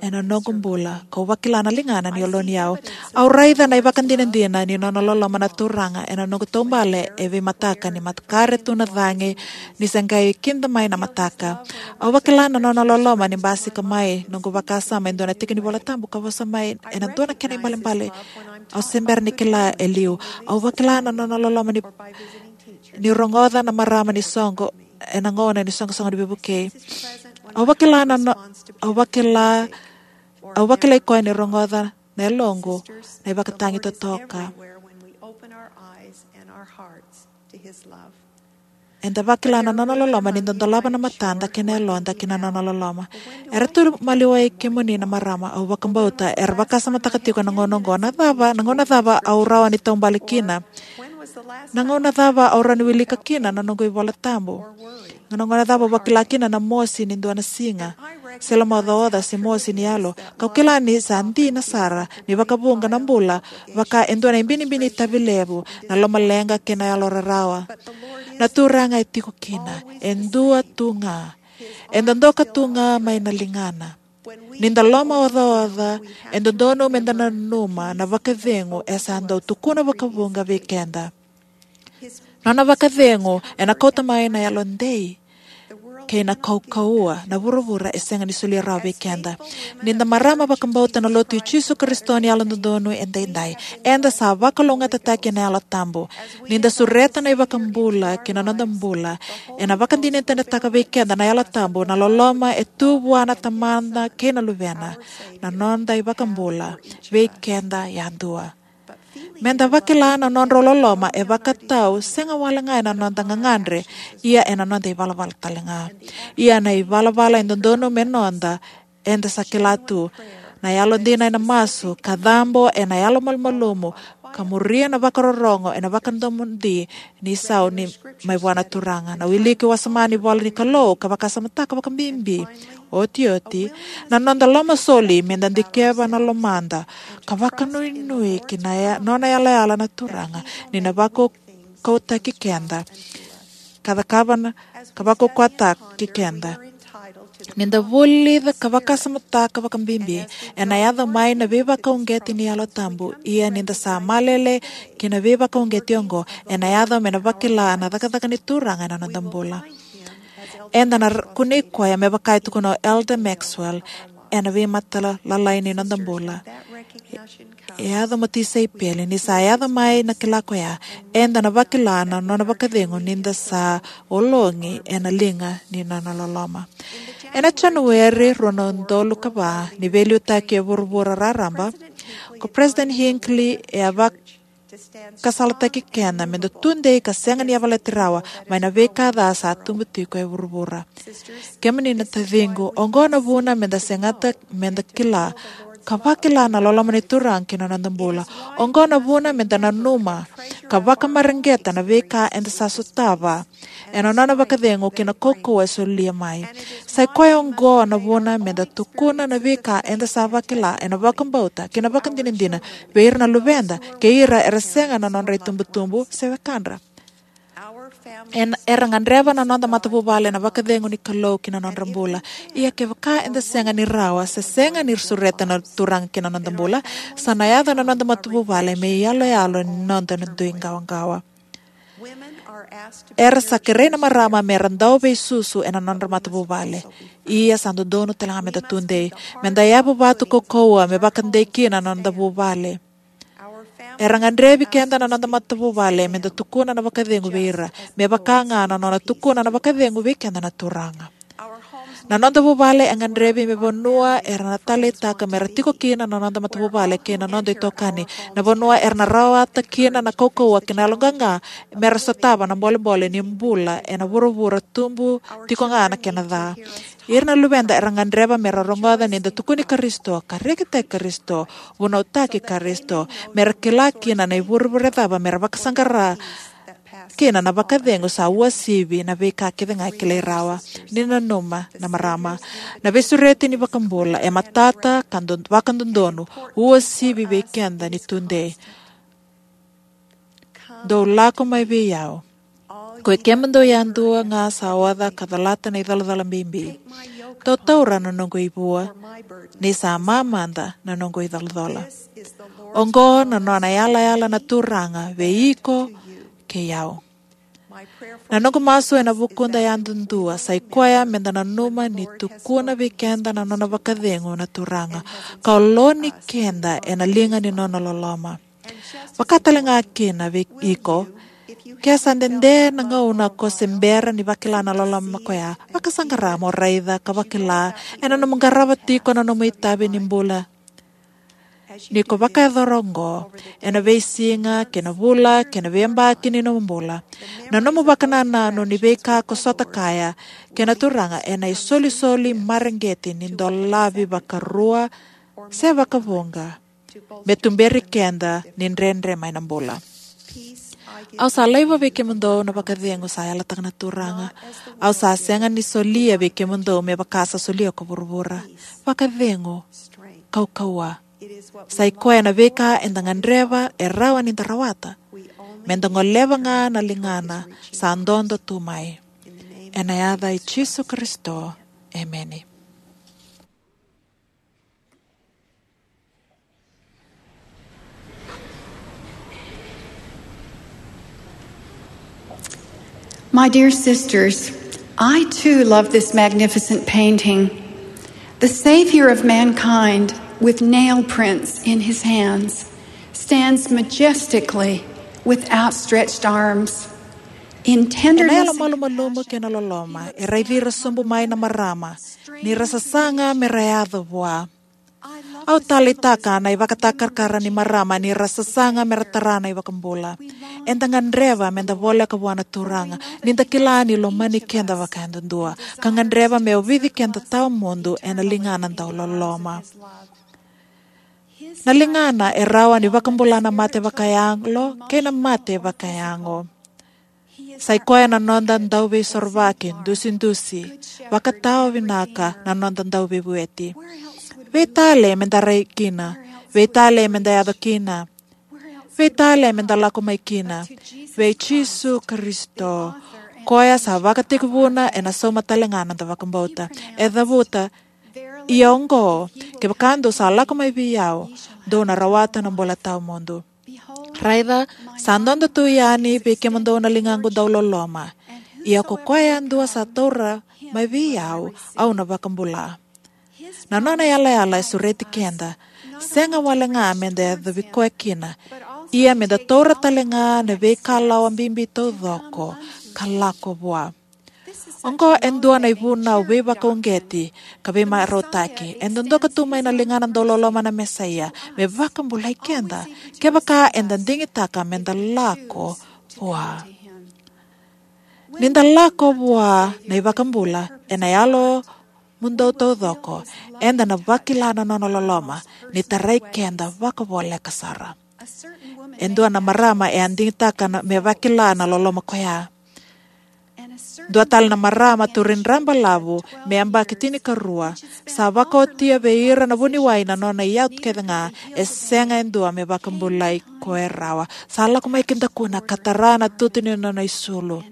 ena noqu bula, kau vakila na ligana ni yaloni au. Au raica na ivakadinadina ni nona loloma na Turaga ena noqu taubale e veimataka ni makare tu na cagi ni se qai kida mai na mataka. Au vakila na nona loloma ni basika mai noqu vakasama e dua na tiki ni iVola Tabu ka vosa mai ena dua na kena ibalebale au se bera ni kila e liu. Au vakila na nona loloma ni, ni rogoca na marama ni soqo ena gauna ni soqosoqo ni veivukei. Au vakila na no-, au vakila, au vakilai koya ni rogoca na yaloqu na ivakatagi totoka. Eda vakila na nona loloma ni da dolava na matada kei na yaloda ki na nona loloma. Era tu maliwai kemuni na marama, au vakabauta era vakasamataka tiko ena gauna oqo, na cava, na gauna cava au rawa ni taubale kina. Na gauna cava au rawa ni wilika kina na noqu iVola Tabu? Na gauna cava au vakila kina na mosi ni dua na siga, se lomaocaoca, se mosi ni yalo? Kau kila ni sa dina sara ni vakavuqa na bula vaka e dua na ibinibini itavi levu, na lomaleqa kei na yalo rarawa. Na Turaga e tiko kina, e dua tu ga. E dodoka tu ga mai na ligana. Ni da lomaocaoca, e dodonu me da nanuma na vakacegu e sa dau tukuna vakavuqa vei keda. Nona vakacegu ena kauta mai na yalodei kei na kaukauwa na vuravura e sega ni solia rawa vei keda. Ni da marama vakabauta na Lotu i Jisu Karisito ni Yalododonu Edaidai, eda sa vakalougatataki ena Yalo Tabu. Ni da sureta na iVakabula ki na noda bula, ena vakadinadinataka vei keda na Yalo Tabu na loloma e tu vua na Tamana kei na Luvena, na noda iVakabula, vei keda yadua. Me da vakila na nodrau loloma e vakatau, sega wale ga ena noda gagadre, ia ena noda ivalavala tale ga. Ia na ivalavala e dodonu me noda, eda sa kila tu. Na yalodina ena masu, ka cabo ena yalomalumalumu, ka muria na vakarorogo ena vakadomodi ni sau ni mai vua na Turaga. Na wiliki wasoma ni ivola ni Kalou, ka vakasamataka vakabibi, otioti, na noda lomasoli me da dikeva na lomada, ka vakanuinui ki na ya-, nona yalayala na Turaga, ni na vakaukauwataki keda, ka cakava na, ka vakaukauwataki keda. Ni da vulica ka vakasamataka vakabibi, ena yaco mai na veivakauqeti ni Yalo Tabu, ia ni da sa malele ki na veivakauqeti oqo, ena yaco me na vakila na cakacaka ni Turaga ena noda bula. Eda na r-, kunei koya me vaka e tukuna o Elder Maxwell ena veimataqali ni noda bula. E yaco mo tisaipeli, ni sa yaco mai na kila koya, eda na vakila na nona vakacegu ni da sa ologi ena liga ni nona loloma. Ena Janueri rua na udolu ka va, ni veiliutaki e vuravura raraba, ko President Hinckley e a vak-, ka salataki keda me da tudei ka sega ni yavalati rawa mai na veika ca sa tubu tiko e vuravura. Kemuni na taciqu, oqo na vuna me da segata me da kila ka vakila na loloma ni Turaga ki na noda bula. Oqo na vuna me da nanuma ka vakamareqeta na veika eda sa sotava ena nona vakacegu kei na kaukauwa e solia mai. Sai koya oqo na vuna me da tukuna na veika eda sa vakila ena vakabauta kei na vakadinadina vei ira na luveda kei ira era sega na nodra itubutubu se wekadra. En-, era gadreva na noda matavuvale na vakacegu ni Kalou ki na nodra bula. Ia kevaka eda sega ni rawa, se sega ni sureta na Turaga ki na noda bula, sa na yaco na noda matavuvale me iyaloyalo ni noda na dui qawaqawa. Era sa kerei na marama me ra dau veisusu ena nodra matavuvale. Ia sa dodonu tale ga me da tudei. Me da yavu vatu kaukauwa me vakadei kina na noda vuvale. Era gadrevi keda na noda matavuvale me da tukuna na vakacegu vei ira, me vaka ga na nona tukuna na vakacegu vei keda na Turaga. Na noda vuvale e gadrevi me vanua era na taleitaka me ra tiko kina na noda matavuvale kei na noda itokani, na vanua era na rawata kina na kaukauwa kei na yaloqaqa me ra sotava na bolebole ni bula ena vuravura tubu tiko ga na kena ca. Ira na luveda era gadreva me ra rogoca ni da tukuni Karisito, ka rekitaki Karisito, vunautaki Karisito, me ra kila kina na ivurevure cava me ra vakasaqara kina na vakacegu sa uasivi na veika kece ga e kilai rawa. Ni nanuma na marama, na veisureti ni iVakabula e matata ka do-, vakadodonu, uasivi vei keda ni tudei. Dou lako mai vei au, koi kemudou yadua ga sa oca ka colata na icolacola bibi. Dou taura na noqu ivua, ni sa mamada na noqu icolacola. Oqo na nona yalayala na Turaga vei iko kei au. Na noqu masu ena vukuda yadudua sai koya me da nanuma ni tukuna vei keda na nona vakacegu na Turaga, ka oloni keda ena liga ni nona loloma. Vaka tale ga kina vei iko, ke sa dede na gauna ko se bera ni vakila na loloma koya, vakasaqara mo raica ka vakila ena nomu qarava tiko na nomu itavi ni bula. Ni ko vakayacora oqo ena veisiga kei na vula kei na veiyabaki ni nomu bula, na nomu vakanananu ni veika ko sota kaya kei na Turaga ena isolisoli mareqeti ni dolavi vakarua se vakavuqa, me tuberi keda ni dredre mai na bula. Au sa laiva vei kemudou na vakacegu, sa yalataka na Turaga. Au sa sega ni solia vei kemudou me vaka sa solia ko vuravura. Vakacegu, kaukauwa. Sa i koya na veika eda gadreva e rawa ni da rawata. Me da goleva ga na ligana sa dodo tu mai. Ena yaca i Jisu Karisito. Emeni. My dear sisters, I too love this magnificent painting. The Savior of mankind, with nail prints in his hands, stands majestically with outstretched arms. In tenderness, ena yalo malumalumu kei na loloma, e raici ira sobu mai na marama, ni ra sasaga me ra yaco vua. Au taleitaka na ivakatakarakara ni marama ni ra sasaga me ra tara na iVakabula. Eda gadreva me da voleka vua na Turaga, ni da kila ni lomani keda vakayadudua, ka gadreva me ovici keda tawamudu ena ligana dau loloma. Na ligana e rawa ni vakabula na mate vakayalo kei na mate vakayago. Sa i koya na noda dauveisorovaki, dusidusi, vakatawa vinaka na noda dauveivueti. Vei tale me da rai kina, vei tale me da yaco kina, vei tale me da lako mai kina, vei Jisu Karisito, koya sa vakatekivuna ena sauma tale ga na noda vakabauta. E cavuta, ia oqo, kevaka dou sa lako mai vei au, dou na rawata na bula tawamudu. Raica, sa dodo tu yani vei kemudou na ligaqu dau loloma. Ia ko koya yadua sa taura mai vei au, au na vakabula. Na nona yalayala e sureti keda, sega wale ga me da yacovi koya kina, ia me da taura tale ga na veikalawa bibi taucoko ka lako vua. Oqo e dua na ivunau veivakauqeti ka veimarautaki. E dodoka tu mai na ligana dau loloma na Mesaia me vakabulai keda, kevaka eda digitaka me da lako vua. Ni da lako vua na iVakabula ena yalo mudou taucoko, eda na vakila na nona loloma, ni tarai keda vakavoleka sara. E dua na marama e a digitaka na, me vakila na loloma koya. Dua tale na marama, turidrabalavu me yabaki tinikarua, sa vakaotia vei ira na vuniwai na nona iyau kece ga, e sega e dua me vakabulai koya rawa. Sa lako mai ki dakuna ka tara na tutu ni nona isulu.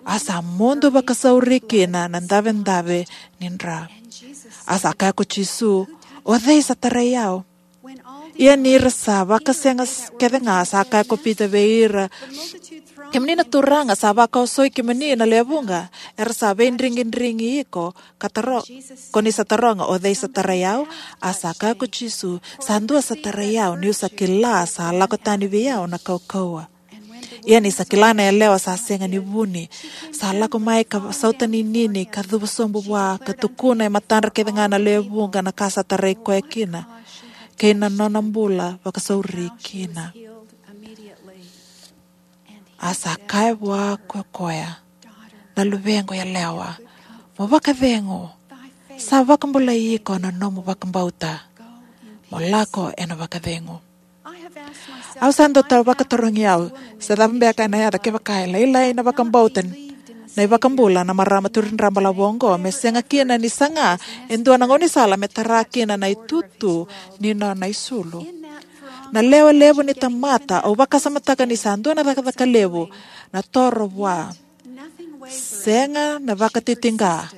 A sa mudu vakasauri kina na davedave ni dra. A sa kaya ko Jisu, "O cei sa tarai au?" Ia ni ra sa vakasega s-, kece ga, sa kaya ko Pita vei ira, "Kemuni na turaga, sa vakaosoi kemuni na lewe vuqa, era sa veidrigidrigi iko, ka taro-, ko ni sa taroga, 'O cei sa tarai au?'" A sa kaya ko Jisu, "Sa dua sa tarai au, niu sa kila sa lako tani vei au na kaukauwa." Ia ni sa kila na yalewa sa sega ni vuni, sa lako mai ka sauta ninini ka cuva sobu vua ka tukuna e matadra kece ga na lewe vuqa na ka sa tarai koya kina, kei na nona bula vakasauri kina. A sa kaya vua ko koya, "Na luvequ yalewa, mo vakacegu, sa vakabulai iko na nomu vakabauta. Mo lako ena vakacegu." Au sa dau ta-, vakatarogi au, se cava beka ena yaco kevaka e lailai na vakabauta na iVakabula na marama turidrabalavu oqo, me sega kina ni saga e dua na gaunisala me tara kina na itutu ni nona isulu. Na lewe levu ni tamata, au vakasamataka ni sa dua na cakacaka levu na toro vua. Sega na vakatitiqa,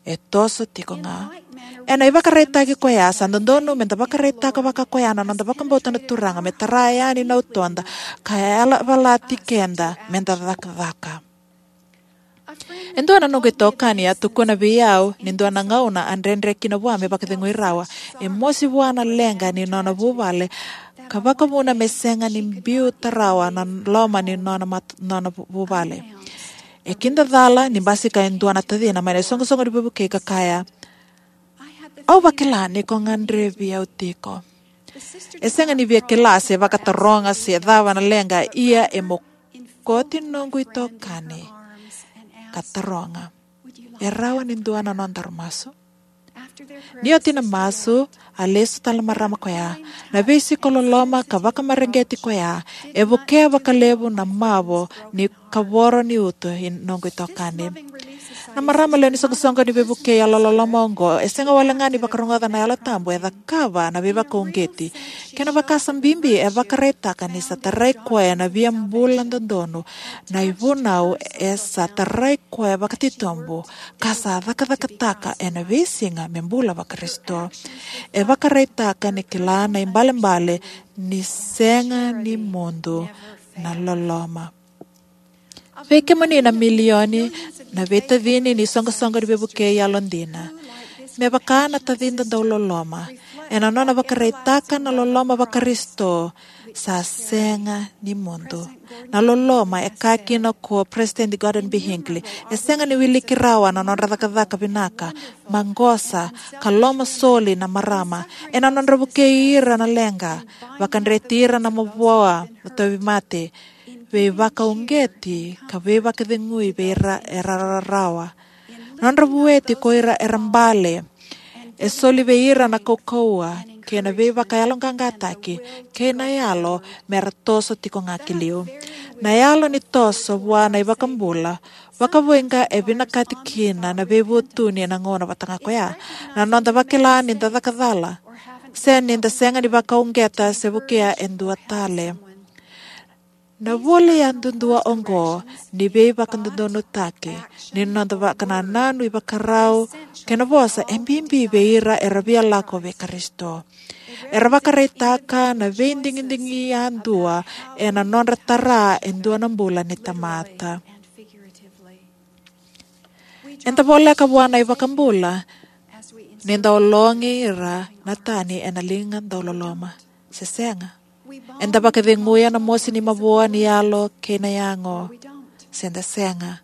e toso tiko ga. Ena ivakaraitaki koya, sa dodonu me da vakaraitaka vaka koya na noda vakabauta na Turaga, me tara yani na utoda ka yalavalati keda me da cakacaka. E dua na noqu itokani a tukuna vei au ni dua na gauna a dredre kina vua me vakacegui rawa. E mosi vua na leqa ni nona vuvale, ka vakavuna me sega ni biuta rawa na loma ni nona mat-, nona vu-, vuvale. E kidacala ni basika e dua na tacina mai na isoqosoqo ni veivukei ka kaya, "Au vakila ni ko gadrevi au tiko." E sega ni via kila se vakataroga se cava na leqa, ia e mokoti noqu itokani ka taroga, "E rawa ni dua na nodaru masu?" Ni oti na masu, a lesu tale na marama koya. Na veisiko loloma ka vakamareqeti koya e vukea vakalevu na mavo ni kavoro ni uto ni noqu itokani. Na marama lewe ni soqosoqo ni veivukei yalololoma oqo e sega walega ni vakarogoca na Yalo Tabu, e cakava na veivakauqeti. Kena vakasa bibi, e vakaraitaka ni sa tarai koya na via bula dodonu, na ivunau e sa tarai koya vakatitobu, ka sa cakacakataka ena veisiga me bula vaKarisito. E vakaraitaka ni kila na ibalebale ni sega ni mudu na loloma. Vei kemuni na milioni na veitacini ni soqosoqo ni veivukei yalodina, me vaka na tacida dau loloma, ena nona vakaraitaka na loloma vaKarisito, sa sega ni mudu. Na loloma, e kaya kina ko Peresitedi Gordon B. Hinckley, e sega ni wiliki rawa na nodra cakacaka vinaka, maqosa, ka lomasoli na marama, ena nodra vukei ira na leqa, vakadreti ira na mavoa na tauvimate, veivakauqeti ka veivakacegui vei ira era rarawa. Nodra vueti ko ira era bale, e soli vei ira na kaukauwa kei na veivakayaloqaqataki kei na yalo me ra toso tiko ga ki liu. Na yalo ni toso vua na iVakabula, vakavoui ga e vinakati kina na veivutuni ena gauna vata ga koya. Na noda vakila ni da caka cala, se ni da sega ni vakauqeta se vukea e dua tale. Na vuli yadudua oqo ni veivakadodonutaki, ni noda vakanananu, ivakarau, kei na vosa e bibi vei ira era via lako vei Karisito. Era vakaraitaka na veidigidigi yadua ena nodra tara e dua na bula ni tamata. Eda voleka vua na iVakabula ni da ologi ira na tani ena liga dau loloma, se sega? Eda vakaceguya na mosi ni mavoa ni yalo kei na yago, se da sega?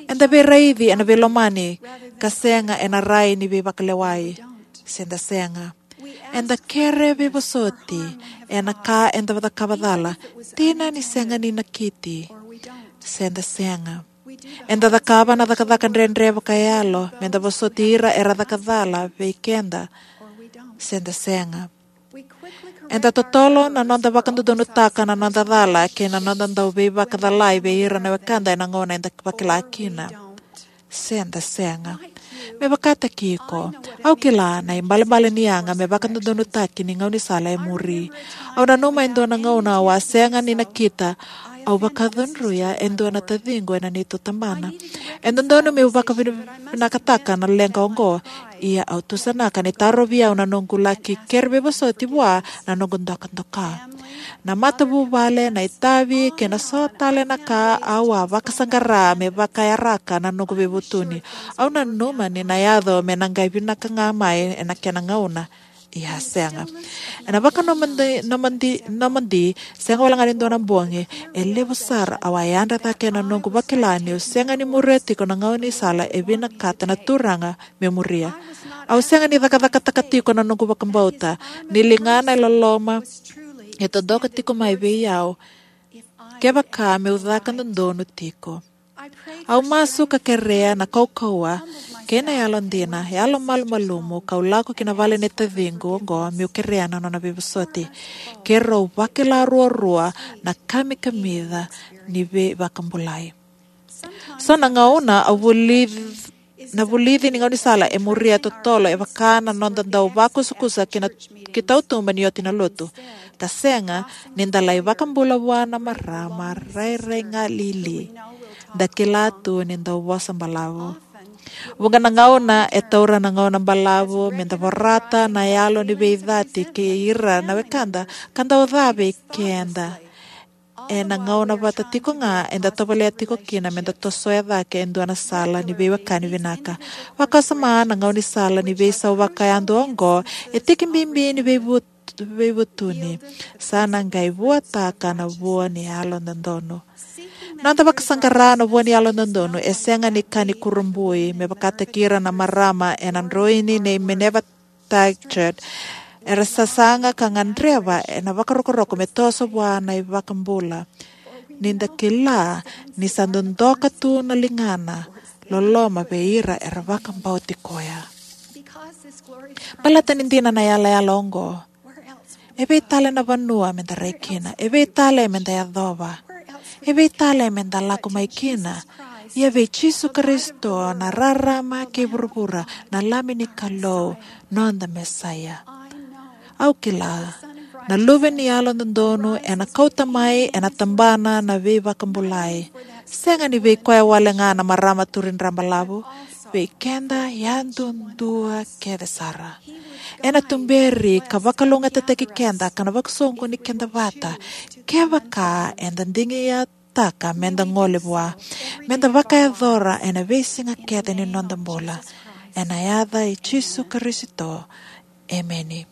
Eda veiraici ena veilomani ka sega ena rai ni veivakalewai, se da sega? Eda kere veivosoti ena ka eda cakava cala, dina ni sega ni nakiti, se da sega? Eda cakava na cakacaka dredre vakayalo me da vosoti ira era caka cala vei keda, se da sega? Eda totolo na noda vakadodonutaka na noda cala kei na noda dau veivakacalai vei ira na wekada ena gauna eda vakila kina, se da sega? Me vakataki iko, au kila na ibalebale ni yaga me vakadodonutaki ni gaunisala e muri. Au nanuma e dua na gauna au a sega ni nakita, au vakacudruya e dua na taciqu ena neitou tabana. E dodonu meu vakavinakataka na leqa oqo, ia au tusanaka ni tarovi au na noqu laki kere veivosoti vua na noqu dokadoka. Na matavuvale, na itavi, kei na so tale na ka au a vakasaqara me vakayaraka na noqu veivutuni. Au nanuma ni na yaco me na qai vinaka ga mai ena kena gauna. Ia sega. Ena vakanomodi, nomodi, nomodi, sega walega ni dua na bogi, e levu sara au a yadra cake ena noqu vakila niu sega ni muria tiko na gaunisala e vinakata na Turaga meu muria. Au sega ni cakacakataka tiko na noqu vakabauta ni ligana e loloma e dodoka tiko mai vei au, kevaka meu caka dodonu tiko. Au masu ka kerea na kaukauwa kei na yalodina, yalomalumalumu, kau lako ki na vale ni taciqu oqo meu kerea na nona veivosoti. Keirau vakila ruarua na kamikamica ni veivakabulai. So na gauna au vulic-, na vulici ni gaunisala e muria totolo e vaka na noda dau vakusakusa ki na, ki tautuba ni oti na lotu. Ka sega ni da lai vakabula vua na marama rairai ga lili da kila tu ni dau vosa balavu. Vuqa na gauna e taura na gauna balavu me da vorata na yalo ni veicati kei ira na wekada ka dau ca vei keda. Ena gauna vata tiko ga eda tovolea tiko kina me da tosoya cake e dua na sala ni veiwekani vinaka. Vakasama na gaunisala ni veisau vakayadua oqo e tiki bibi ni veivut-, veivutuni. Sa na qai vuataka na vua ni yalododonu. Noda vakasaqara na vua ni yalododonu e sega ni ka ni kurabui, me vakataki ira na marama ena droini nei Minerva Tigard, era sasaga ka gadreva ena vakarokoroko me toso vua na iVakabula. Ni da kila ni sa dodoka tu na ligana loloma vei ira era vakabauti koya. Baleta ni dina na yalayala oqo, e vei tale na vanua meda rai kina? E vei tale meda yacova? E vei tale meda lako mai kina? Ia vei Jisu Karisito na rarama kei vuravura, na Lami ni Kalou, noda Mesaia. Au kila na Luve ni Yalododonu ena kauta mai ena tabana na veivakabulai. Sega ni vei koya wale ga na marama turidra balavu, vei keda yadudua kece sara. Ena tuberi ka vakalougatataki keda ka na vakasoqoni keda vata kevaka eda digitaka meda gole vua, meda vakayacora ena veisiga kece ni noda bula. Ena yaca i Jisu Karisito, emeni.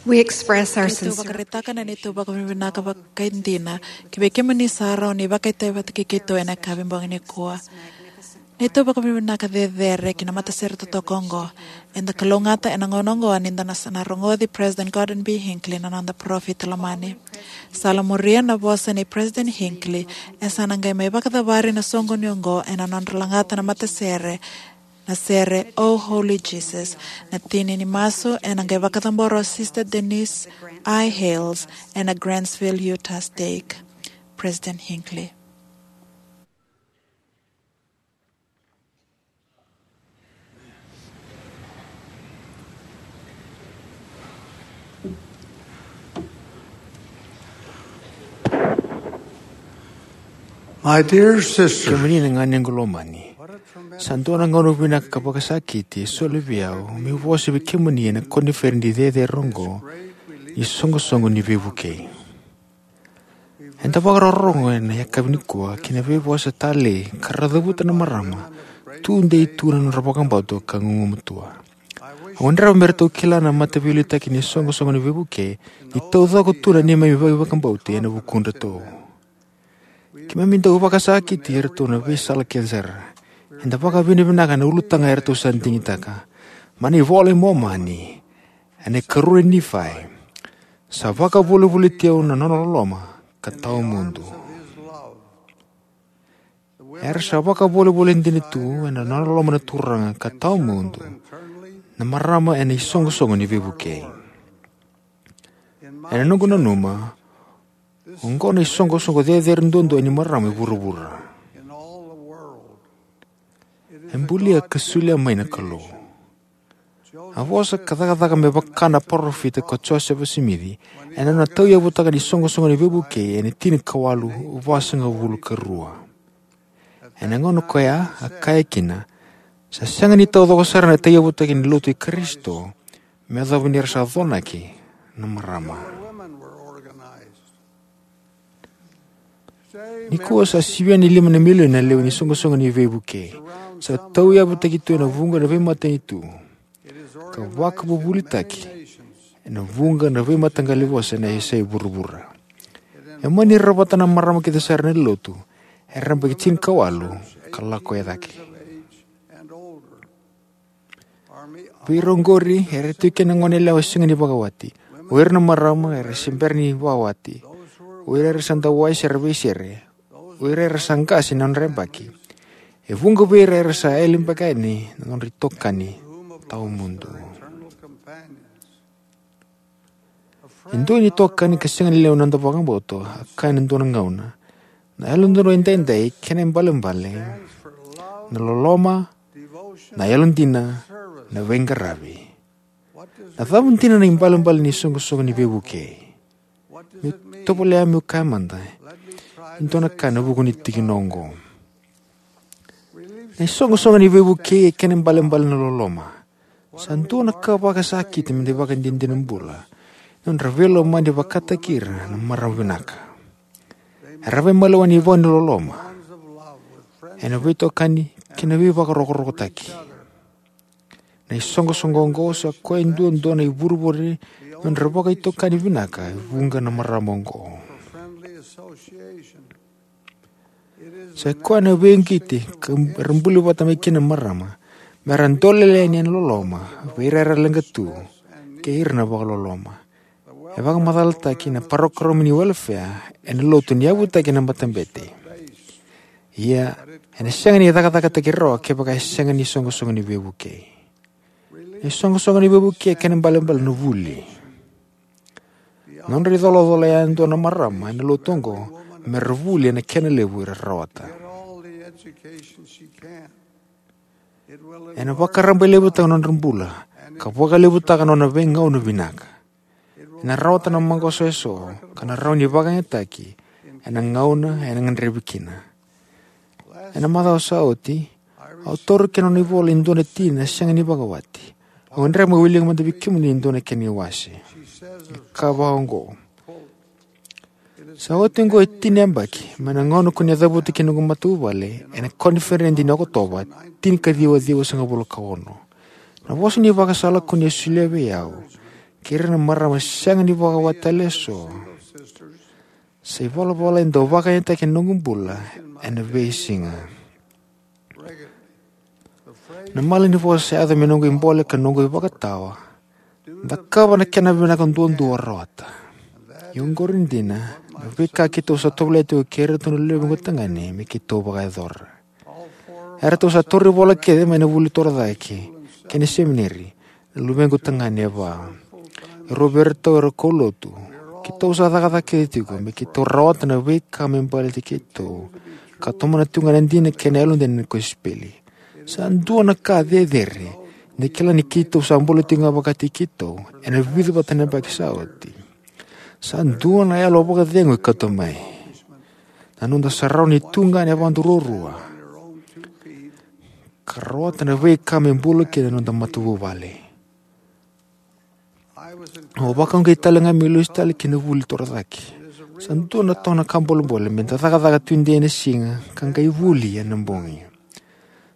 We express our Keitou sincere vakaraitaka na neitou vakavinavinaka vakaidina ki vei kemuni sara o ni vakaitavi vata kei keitou ena yakavi bogi nikua. Neitou vakavinavinaka cecere ki na matasere totoka oqo. Eda kalougata ena gauna oqo ni da na sa na rogoci President Gordon B. Hinckley, na noda parofita lomani. Sa la muria na vosa nei President Hinckley, e sa na qai mai vakacavari na soqoni oqo ena nodra lagata na matasere Na sere O Holy Jesus, na tini ni masu ena qai vakacabora o Sister Denise I. Hales ena Grantsville Utah Stake. President Hinckley. My dear sisters, kemuni na ganequ lomani, sa dua na gauna vinaka ka vakasakiti e soli vei au meu vosa vei kemuni ena koniferedi cecere oqo ni Soqosoqo ni Veivukei. Eda vakarorogo ena yakavi nikua ki na veivosa talei ka ra cavuta na marama tudei tu na nodra vakabauta ka gugumatua. Au gadreva me ratou kila na mataveiliutaki ni Soqosoqo ni Veivukei ni taucoko tu na neimami vakabauta ena vukudratou. Keimami dau vakasakiti iratou na veisala kece sara. Eda vakavinavinaka na ulutaga eratou sa digitaka. Mai na iVola i Momani, ena ikarua ni Nifai, sa vakavolivoliti au na nona loloma ka tawamudu. Era sa vakavolivoli dina tu ena nona loloma na Turaga ka tawamudu na marama ena iSoqosoqo ni Veivukei. Ena noqu nanuma, oqo na isoqosoqo cecere duadua ni marama e vuravura. E bulia ka solia mai na Kalou. A vosa ka cakacaka me vaka na parofita ko Josefa Simici ena nona tauyavutaka ni Soqosoqo ni Veivukei ena tinikawalu vasagavulu ka rua. Ena gauna koya a kaya kina, sa sega ni taucoko sara na tauyavutaki ni lotu i Karisito me yacova ni ra sa conaki na marama. Nikua sa sivia ni lima na milioni na lewe ni Soqosoqo ni Veivukei. Sa tauyavutaki tu ena vuqa na veimatanitu ka vakavuvulitaki ena vuqa na veimataqali vosa ena yasai vuravura. E mani rawata na marama kece sara na lotu era yabaki tinikawalu ka lako e cake. Vei ira oqori era tiko kina na goneyalewa sega ni vakawati, o ira na marama era se bera ni vakawati, o ira era sa dau wai sara veisere, o ira era sa qase na nodra yabaki. E vuqa vei ira era sa yali beka yani na nodra itokani tawamudu. E dua ni itokani ka sega ni lewe ni noda vakabauta a kaya ena dua na gauna, na Yalododonu Edaidai kena ibalebale na loloma, na yalodina, na veiqaravi. Na cava dina na ibalebale ni Soqosoqo ni Veivukei? Meu tovolea meu kaya mada e dua na ka ena vuku ni tikina oqo. Na iSoqosoqo ni Veivukei e kena ibalebale na loloma. Sa dua na ka vakasakiti me da ivakadinadina bula ni nodra veilomani vakataki ira na marama vinaka. Era veimalewani vua ni loloma ena veitokani kei na veivakarokorokotaki. Na isoqosoqo oqo sa koya duadua na ivurevure ni nodra vakaitokani vinaka e vuqa na marama oqo. Sa koya na veiqiti ka ra buli vata mai kina na marama me ra dolele yani ena loloma vei ira era leqa tu kei ira na vakaloloma. E vakamacalataki na parokaramu ni welefea ena lotu ni yavutaki na matabete. Ia, ena sega ni cakacakataki rawa kevaka e sega ni Soqosoqo ni Veivukei. Na iSoqosoqo ni Veivukei e kena ibalebale na vuli. Na nodra icolacola yadua na marama ena lotu oqo me ra vuli ena kena levu era rawata. Ena vakarabailevutaka na nodra bula ka vakalevutaka na nona veigauna vinaka. Ena rawata na maqosa eso ka na rawa ni vakayagataki ena gauna ena gadrevi kina. Ena macawa sa oti, au taura kina na nona ivola e dua na tina sega ni vakawati. Au gadreva meu wilika mada vei kemuni e dua na kena iwase. E kaya vaka oqo: Sa oti oqo e tini na yabaki mai na gauna ko ni a cavuta kina noqu matavuvale ena koniferedi ni Okotova tinikaciwa ciwasagavulu ka ono. Na vosa ni vakasala ko ni a solia vei au kei ira na marama sega ni vakawati tale eso sa ivalavala e dau vakayagataki ena noqu bula ena veisiga. Na malanivosa sa yaco me noqu ibole ka noqu ivakatawa: Cakava na kena vinaka duadua, rawata. Ia oqori dina na veika keitou sa tovolea tiko kei iratou na luvequ tagane me keitou vakayacora. Eratou sa tauri vola kece mai na vuli torocake kei na semineri na luvequ tagane e va. E rua vei iratou era kaulotu. Keitou sa cakacaka kece tiko me keitou rawata na veika me baleti keitou, ka tomana tiko ga na dina kei na yalodina ni kosipeli. Sa dua na ka cecere ni da kila ni keitou sa bula tiko ga vakataki keitou ena vica vata na yabaki sa oti. Sa dua na yalo vakacegu e kauta mai. Na noda sa rawa ni tu ga ena yavadra ruarua ka rawata na veika me bula kina na noda matavuvale. Au vakauqeti tale ga meu lesu tale ki na vuli torocake. Sa dua na toka na ka bolebole me da cakacaka tudei ena siga ka qai vuli ena bogi.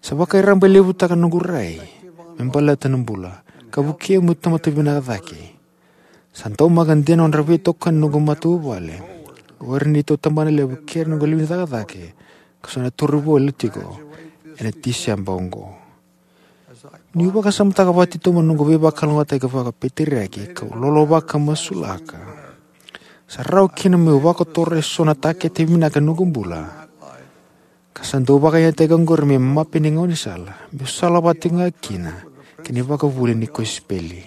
Sa vakarabailevutaka na noqu rai me baleta na bula, ka vukei au meu tamata vinaka cake. Sa daumaka dina na nodra veitokani na noqu matavuvale, o ira na neitou tabanalevu kei ira na noqu lewe ni cakacaka, ka sa na tauri vola tiko ena Tiseba oqo. Niu vakasamataka vakatitobu na noqu veivakalougatataki vakapeteriaki kau lolovaka masulaka, sa rawa kina meu vakotora eso na takete vinaka ni noqu bula, ka sa dau vakayagataki oqori me mape ni gaunisala meu salavata tiko ga kina ki na ivakavuvuli ni kosipeli.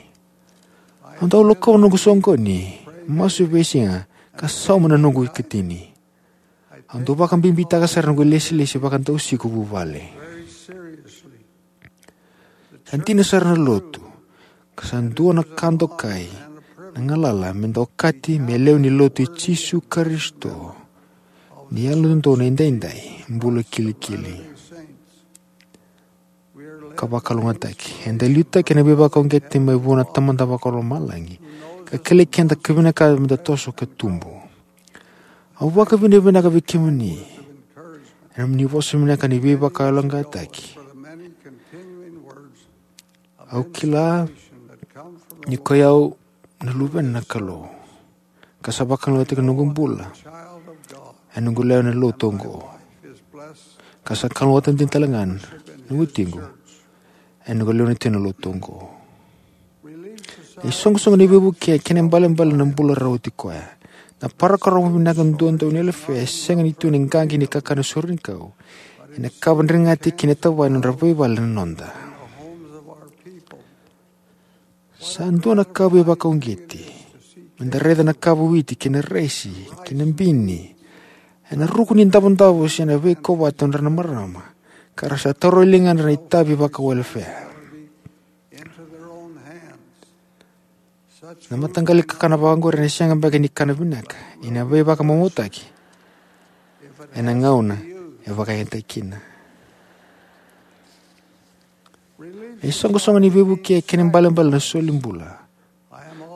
Au dau lakova na noqu soqoni, masu veisiga, ka sauma na noqu ikatini. Au dau vakabibitaka sara na noqu ilesilesi vakadausiko vuvale. Sa dina sara na lotu, ka sa dua na ka dokai na galala me da okati me lewe ni Lotu i Jisu Karisito ni Yalododonu Edaidai Bula Kilikili. Ka vakalougatataki, eda liutaki ena veivakauqeti mai vua na Tamada Vakalomalagi, ka kilai keda ka vinakata me da toso ka tubu. Au vakavinavinaka vei kemuni ena nomuni vosa vinaka ni veivakayaloqaqataki. Au kila ni koi au na luvena na Kalou, ka sa vakalougatataki na noqu bula ena noqu lewe na lotu oqo, ka sa kalougata dina tale ga na watiqu ena noqu lewe na tiko na lotu oqo. Na isoqosoqo ni veivuke kei na ibalebale na bula rauti koya. Na parokaramu vinaka duadua ni welefea e sega ni tu ena qaqi ni kakana sore ni kau, ena kava dregati kei na tavaya na nodra veivale na noda. Sa dua na ka veivakauqeti me da raica na kava witi kei na raisi kei na bini ena ruku ni davodavo se na veikovate nodra na marama, ka ra sa taura e ligadra na itavi vakawelefea. Na mataqali kakana vakaoqori ena sega beka ni kana vinaka, ia na veivakamamautaki ena gauna e vakayagataki kina. Na isoqosoqo ni veivuke kei na ibalebale na soli bula.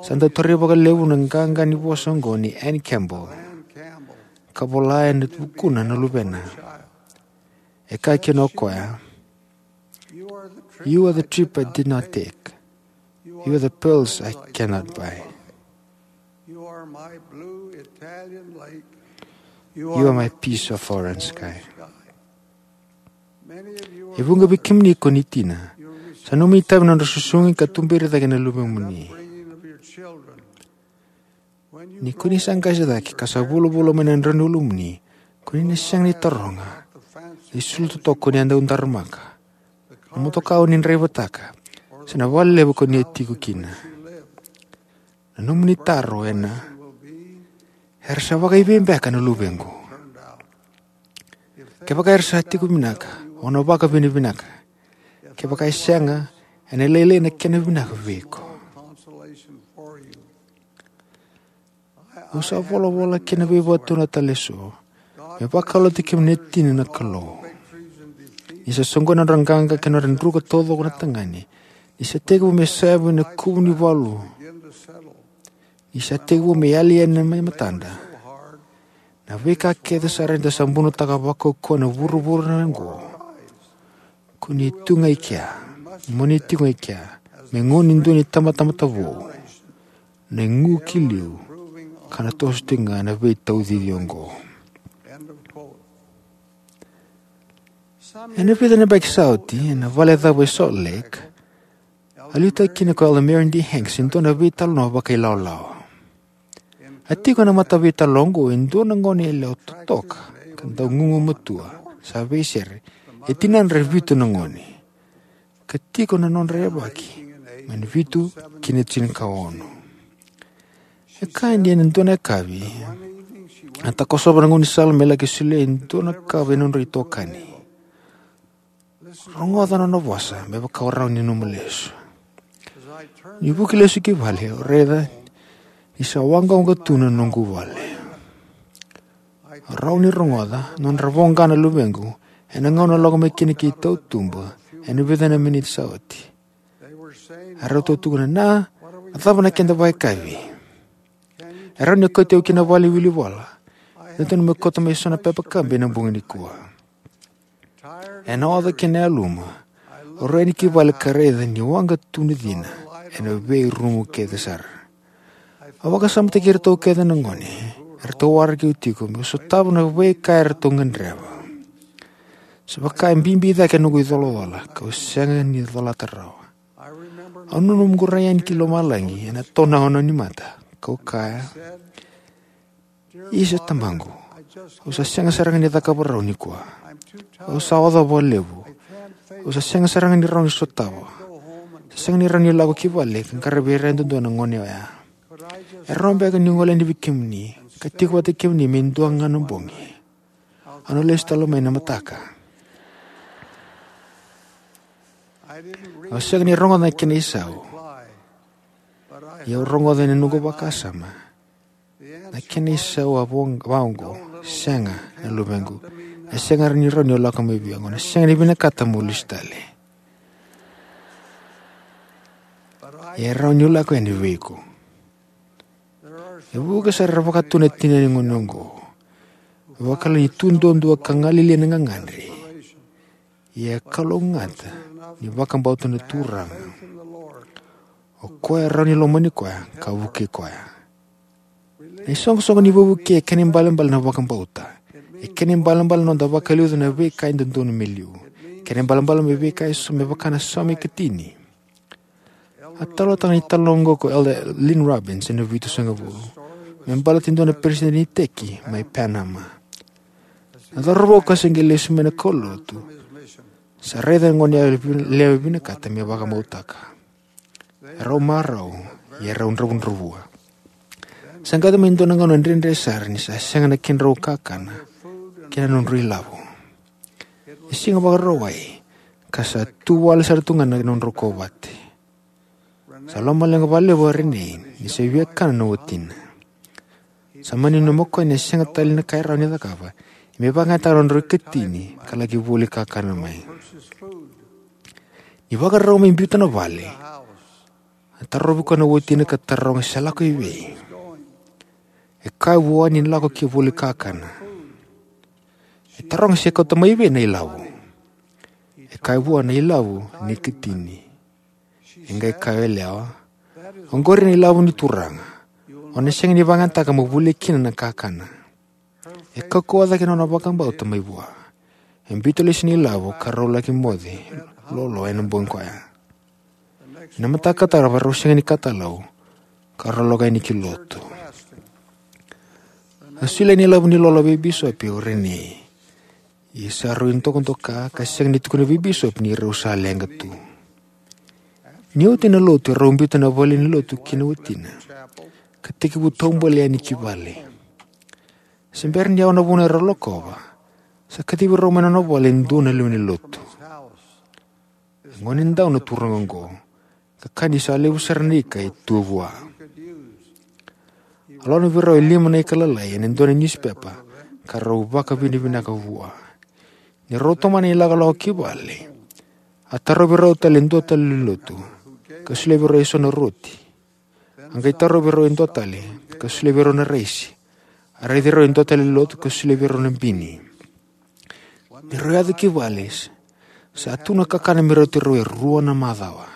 Sa dau tarai vakalevu na qaqa ni vosa oqo nei Ann Campbell, ka vola ena vukuna na luvena. E kaya kina o koya, "You are the trip I did not take. You are the pearls I cannot buy. You are my blue Italian lake. You are my piece of orange sky." E vuqa vei kemuni ko ni tina. Sa nomuni itavi na nodra susugi ka tuberi cake na luvemuni. Ni ko ni sa qase cake ka sa vulavula mai na drau ni ulumuni, ko ni na sega ni taroga na isulu totoka ko ni a dau daramaka, na motoka o ni draivataka, se na vale levu ko ni a tiko kina. Na nomuni taro ena, "Era sa vakaivei beka na luvequ?" Kevaka era sa tiko vinaka, au na vakavinavinaka. Kevaka e sega, ena lailai na kena vinaka vei iko. Au sa volavola kei na veivakatau tale eso me vakalougatataki kemuni na tina na Kalou. Ni sa soqoni na nodra qaqa kei na nodra druka taucoko na tagane. Ni sa tekivu me savi na kuvu ni valu. Ni sa tekivu me yali yani mai matada na veika kece sara eda sa bunotaka vakaukauwa na vuravura oqo. Ko ni tu ga i kea, mo ni tiko ga i kea me gauna ni dua ni tabatamata vou, na igu ki liu, ka na toso tiko ga na veitaucici oqo. Ena vica na yabaki sa oti, ena vale cava e Salt Lake, a liutaki kina ko Elder Marion D. Hanks e dua na veitalanoa vakailawalawa. A tiko ena mataveitalo oqo e dua na gone yalewa totoka ka dau gugumatua, sa veisere, E tinadra e vitu na gone, ka tiko na nodra yavaki mai na vitu ki na tinikaono. E kaya ni ena dua na yakavi, a takosova na gaunisala me laki solia e dua na kava e nodra itokani. Rogoca na nona vosa me vaka o rawa ni nanuma lesu. Ni vuki lesu ki vale, au raica ni sa waqawaqa tu na noqu vale. Au rawa ni rogoca nodra voqa na luvequ ena gauna lako mai kina ki tautuba ena vica na miniti sa oti. Erau tukuna, "Na, a cava na keda vakayakavi? E rawa ni kauti au ki na vale ni wilivola? Dodonu me kauta mai so na pepa kabi ena bogi nikua." Ena oca kei na yaluma, au rai yani ki vale ka raica ni waqa tu na cina ena veirumu kece sara. Au vakasamataki iratou kece na gone eratou waraki au tiko meu sotava na veika eratou gadreva. Sa vaka e bibi cake na noqu icolacola kau sega ni colata rawa. Au nanuma qu rai yani ki lomalagi ena tona ono ni mata kau kaya, "Isa, Tamaqu, au sa sega sara ga ni cakava rawa nikua. Au sa oca vakalevu. Au sa sega sara ga ni rawa ni sotava. Sa sega ni rawa ni lako ki vale ka qaravi ira yadudua na gone oya. E rawa beka niu gole yani vei kemuni ka tiko vata kei kemuni me dua ga na bogi? Au na lesu tale mai na mataka." Au sega ni rogoca na kena isau. Ia au rogoca ena noqu vakasama na kena isau a vo-, vaqo, "Sega, na luvequ. E sega ni rawa ni o lako mai vei au. Au na sega ni vinakata mo lesu tale. Ia e rawa ni o lako yani vei iko." E vuqa sara era vakatu na tina ni gone oqo. Vakala ni tu duadua ka galili ena gagadre. Ia e kalougata ni vakabauta na Turaga. O koya e rawa ni lomani koya ka vukei koya. Na isoqosoqo ni veivukei e kena ibalebale na vakabauta. E kena ibalebale na noda vakaliuca na veika e dodonu me liu. E kena ibalebale me veika eso me vaka na saumi katini. A talanoataka na italanoa oqo ko Elder Lynn Robbins ena vitusagavulu me baleta e dua na peresitedi ni iteki mai Panama. Na cauravou ka se qai lesu mai na kaulotu sa raica na gone yalewa vinakata me vakamautaka. Erau marau, ia erau dravudravua. Sa qai yaco mai e dua na gauna dredre sara ni sa sega na kedrau kakana kei na nodrau ilavo. E Siga Vakarauwai, ka sa tu wale sara tu ga na nodrau kovate. Sa lomaleqa vakalevu o Renee ni sa via kana na watina. Sa mani nanuma o koya ni sega tale na ka e rawa ni cakava me vakayagataka na nodrau ikatini ka laki voli kakana mai. Ni vakarau me biuta na vale, a tarovi koya na watina ka taroga se lako i vei. E kaya vua ni lako ki voli kakana. E taroga se kauta mai vei na ilavo. E kaya vua na ilavo ni ikatini. E qai kaya o yalewa, "Oqori na ilavo ni Turaga. O na sega ni vakayagataka mo volia kina na kakana." E kaukauwa cake na nona vakabauta mai vua. E biuta lesu na ilavo ka rau laki moce lolo ena bogi koya. Ena mataka tarava rau sega ni katalau ka rau lako yani ki lotu. A solia na ilavo ni lolo vei bisopi o Renee. Ia sa rui dokadoka ka sega ni tukuna vei bisopi ni rau sa leqa tu. Ni oti na lotu, rau biuta na vale ni lotu kei na watina ka tekivu taubale yani ki vale. Se bera ni yawa na vuna erau lakova, sa kacivi rau mai na nona vale e dua na lewe ni lotu. E gone dau na turaga oqo, ka kaya ni sa levu sara na ika e tu vua. A lona vei rau e lima na ika lalai ena dua na niusipepa ka rau vakavinavinaka vua. Ni rau tomana na ilakolako ki vale, a tarovi rau tale e dua tale na lewe ni lotu ka solia vei rau eso na roti. A qai tarovi rau e dua tale ka solia vei rau na raisi. A raici rau e dua tale na lewe ni lotu ka solia vei rau na bini. Ni rau yaco ki vale, sa tu na kakana me rauti rau e rua na macawa.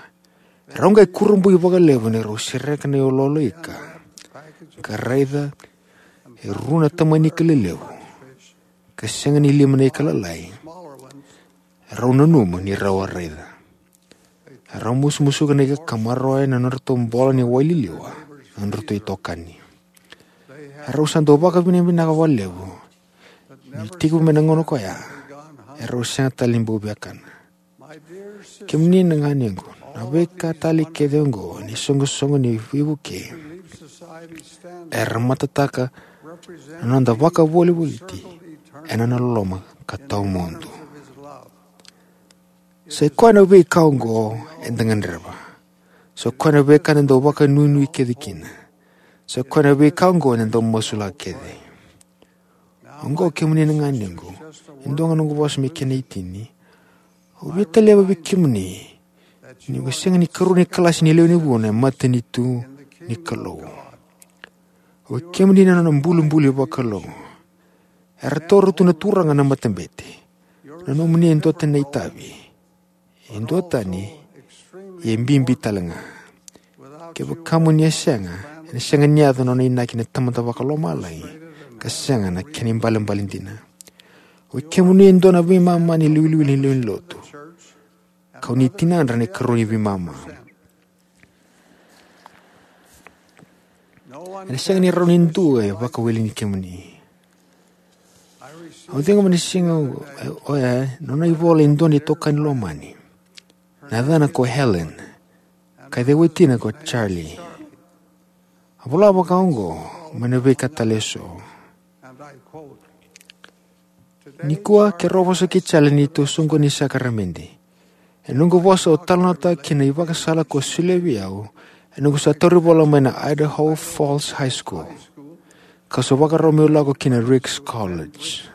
Rau qai kurabui vakalevu ni rau sereka na iloilo ika ka raica e rua na tamani ika lelevu ka sega ni lima na ika lalai. Rau nanuma ni rau a raica. Rau musumusuka na ika ka maroroya na nodratou bola ni wai liliwa na nodratou itokani. Rau sa dau vakavinavinaka vakalevu ni tekivu mai na gauna koya erau sega tale ni bau viakana. Kemuni na ganequ, na veika tale kece oqo ni soqosoqo ni veivuke era matataka na noda vakavolivoliti ena nona loloma ka tawamudu. Sa i koya na veika oqo eda gadreva. Sa i koya na veika eda dau vakanuinui kece kina. Sa i koya na veika oqo eda dau masulaka kece. Oqo kemuni na ganequ, e dua ga noqu vosa me kena itini. Au via talevi vei kemuni ni o sega ni karua ni kalasi ni lewe ni vuna e matanitu ni Kalou. O kemuni na nona bulibuli vakalou. Era taura tu na Turaga na matabete. Na nomuni e duatani na itavi. E duatani, e bibi tale ga. Kevaka mo ni a sega, ena sega ni yaco na nona inaki na Tamada Vakalomalagi, ka sega na kena ibalebale dina. O kemuni e dua na veimama ni liwiliwili ni lewe ni lotu. Kau ni tinadra na ikarua ni veimama. Ena sega ni rawa ni dua e vakaweleni kemuni. Au ciqoma ni siga oya na nona ivola e dua na itokani lomani. Na yacana ko Helen. Ka i cei watina ko Charlie. A vola vakaoqo mai na veika tale eso. Nikua keirau vosa kei Charlie ni tou soqoni ni sakaramede. E noqu vosa au talanoataka kina na ivakasala ko solia vei au e noqu sa tauri vola mai na Idaho Falls High School, ka sa vakarau meu lako ki na Ricks College.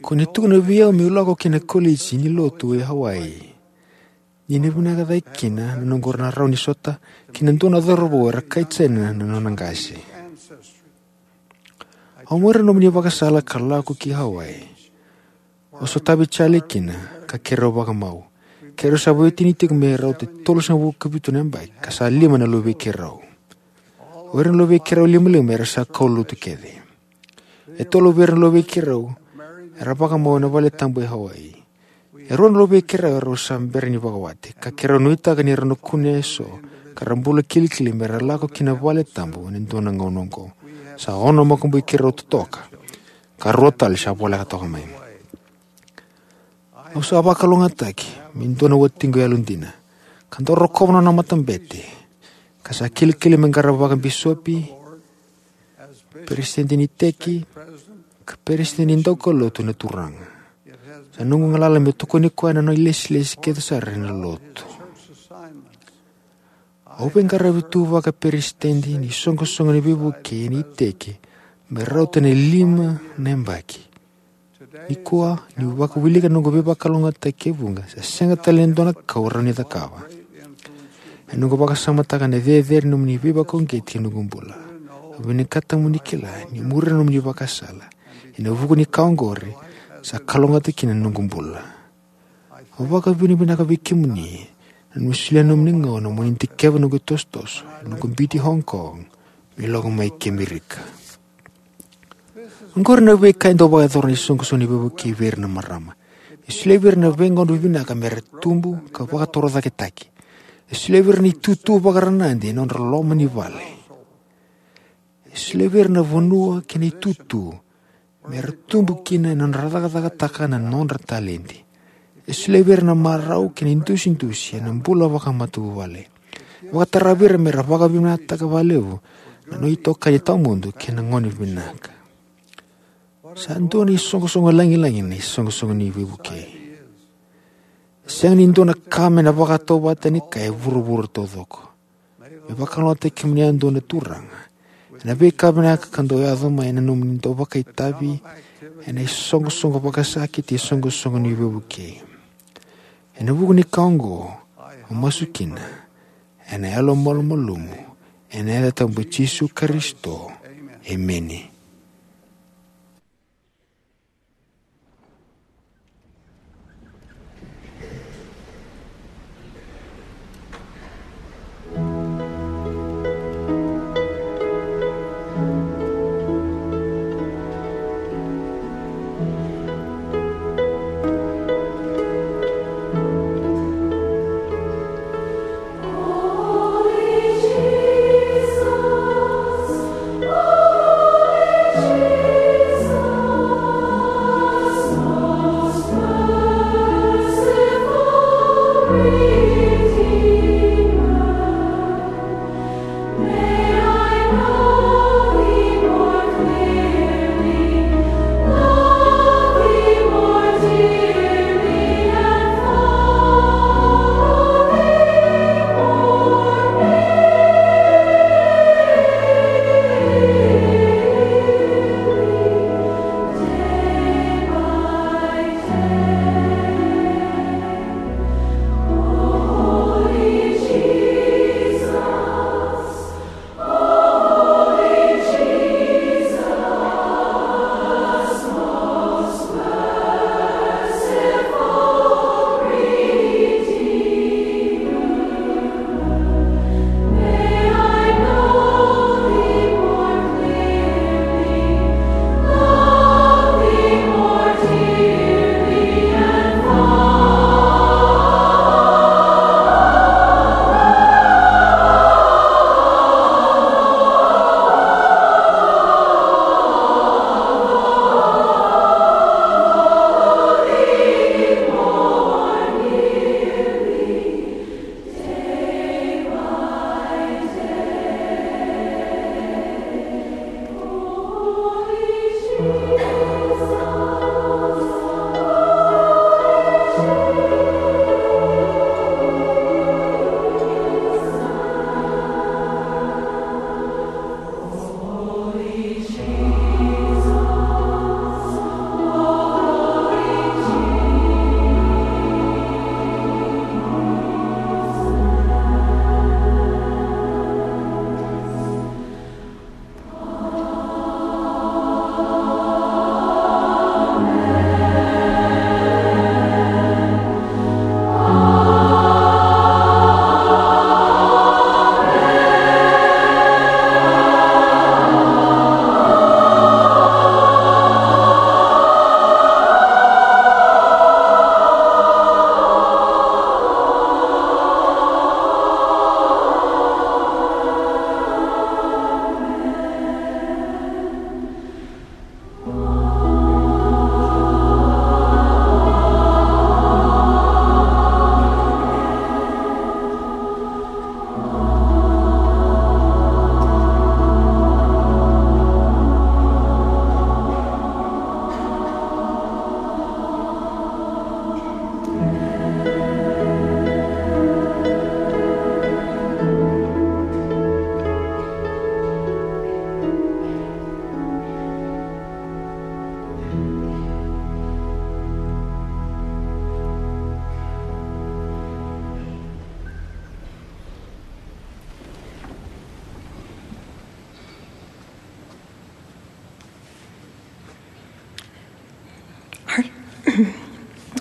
Ko ni tukuna vei au meu lako ki na koliji ni lotu e Hawaii. Ni na vinaka cake kina na noqu na rawa ni sota kei na dua na cauravou era kai Jaina na nona qase. Au muria na nomuni vakasala ka lako ki Hawaii. Au sotavi Charlie kina ka keirau vakamau. Keirau sa veiwatini tiko me rauta e tolusagavulu ka vitu na yabaki ka sa lima na luvei keirau. O ira na luvei keirau limalima era sa kaulotu kece. E tolu vei ira na luvei keirau era vakamau ena vale tabu e Hawaii. E rua na luvei keirau erau sa bera ni vakawati ka keirau nuitaka ni rau na kune eso ka ra bula kilikili me ra lako ki na vale tabu ena dua na gauna oqo. Sa ono makubui keirau totoka ka rua tale sa voleka toka mai. Au sa vakalougatataki me dua na watiqu yalodina ka dau rokova na nona matabete ka sa kilikili me qarava vakabisopi, peresitedi ni iteki, ka peresitedi ni daukaulotu na Turaga. Sa noqu galala meu tokoni koya na nona ilesilesi kece sara ena lotu. Au veiqaravi tu vakaperesitedi ni soqosoqo ni veivuke ni iteki me rauta na lima na yabaki. Nikua niu vakawilika na noqu veivakalougatataki e vuqa, sa sega tale ni dua na ka au rawa ni cakava. E noqu vakasamataka na cecere ni nomuni veivakauqeti ena noqu bula. Au vinakata mo ni kila ni muria na nomuni vakasala ena vuku ni ka oqori sa kalougata kina na noqu bula. Au vakavinavinaka vei kemuni na nomuni solia na nomuni gauna mo ni dikeva na noqu itosotoso ena noqu biuti Hong Kong me lako mai ki Amerika. Oqori na veika e dau vakayacora na isoqosoqo ni veivuke vei ira na marama. E solia vei ira na veigauna vinaka me ra tubu ka vakatorocaketaki. E solia vei ira na itutu vakaranadi ena nodra loma ni vale. E solia vei ira na vanua kei na itutu me ra tubu kina ena nodra cakacakataka na nodra taledi. E solia vei ira na marau kei na idusidusi ena bula vakamatavuvale. E vakatara vei ira me ra vakavinavinakataka vakalevu na nona itokani tawamudu kei na gone vinaka. Sa dua na isoqosoqo lagilagi na isoqosoqo ni veivuke. Sega ni dua na ka me na vakatauvatani kaya e vuravura taucoko. Me vakalougatataki kemuni yadua na Turaga ena veika vinaka ka dau yaco mai ena nomuni dau vakaitavi ena isoqosoqo vakasakiti, isoqosoqo ni veivuke. Ena vuku ni ka oqo au masu kina ena yalomalumalumu ena yaca tabu i Jisu Karisito. Emeni.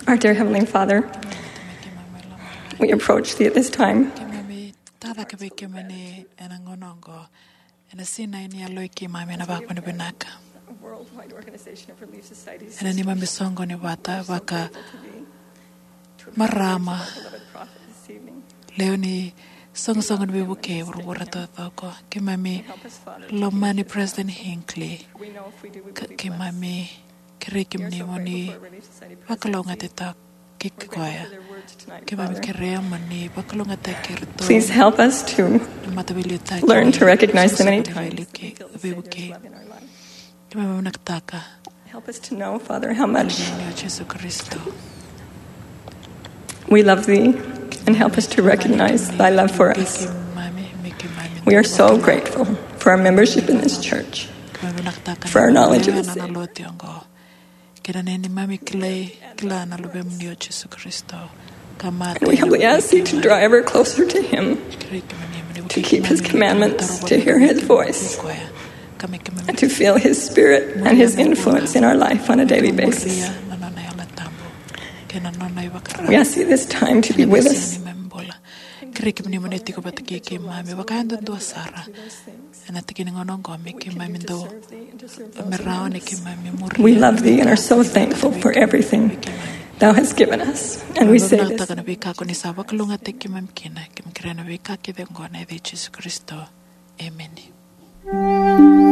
Our dear Heavenly Father, we approach thee at this time. Keimami tacake vei kemuni ena gauna oqo, ena sinai ni yaloi keimami ena vakavinavinaka. A worldwide organization of Relief Societies, ena neimami soqoni vata vaka marama, lewe ni soqosoqo ni veivukei vuravura taucoko. Keimami lomani President Hinckley. Ka keimami kerei kemuni mo ni vakalougatataki koya. Keimami kerea mo ni vakalougatataki iratou. Please help us to na mataveiliutaki learn to recognize the many times veivukei. Keimami vinakataka. Help us to know, Father, how much o Jisu Karisito. We love thee, and help us to recognize thy love for us. We are so grateful for our membership in this church, for our knowledge of the Savior. Kei na neimami kilai, kila na Luvemuni o Jisu Karisito. And we humbly ask thee to draw ever closer to him, to keep his commandments, to hear his voice, and to feel his spirit and his influence in our life on a daily basis. We ask thee this time to be with us. Kerei kemuni mo ni tiko vata kei keimami vakayadudua sara. Ena tiki ni gauna oqo me keimami dau, me rawa ni keimami muri. We love thee and are so thankful for everything thou hast given us. And we say this. Vinakataka na veika ko ni sa vakalougatataki keimami kina, keimami kerea na veika kece oqo ena yaca i Jisu Karisito. Emeni.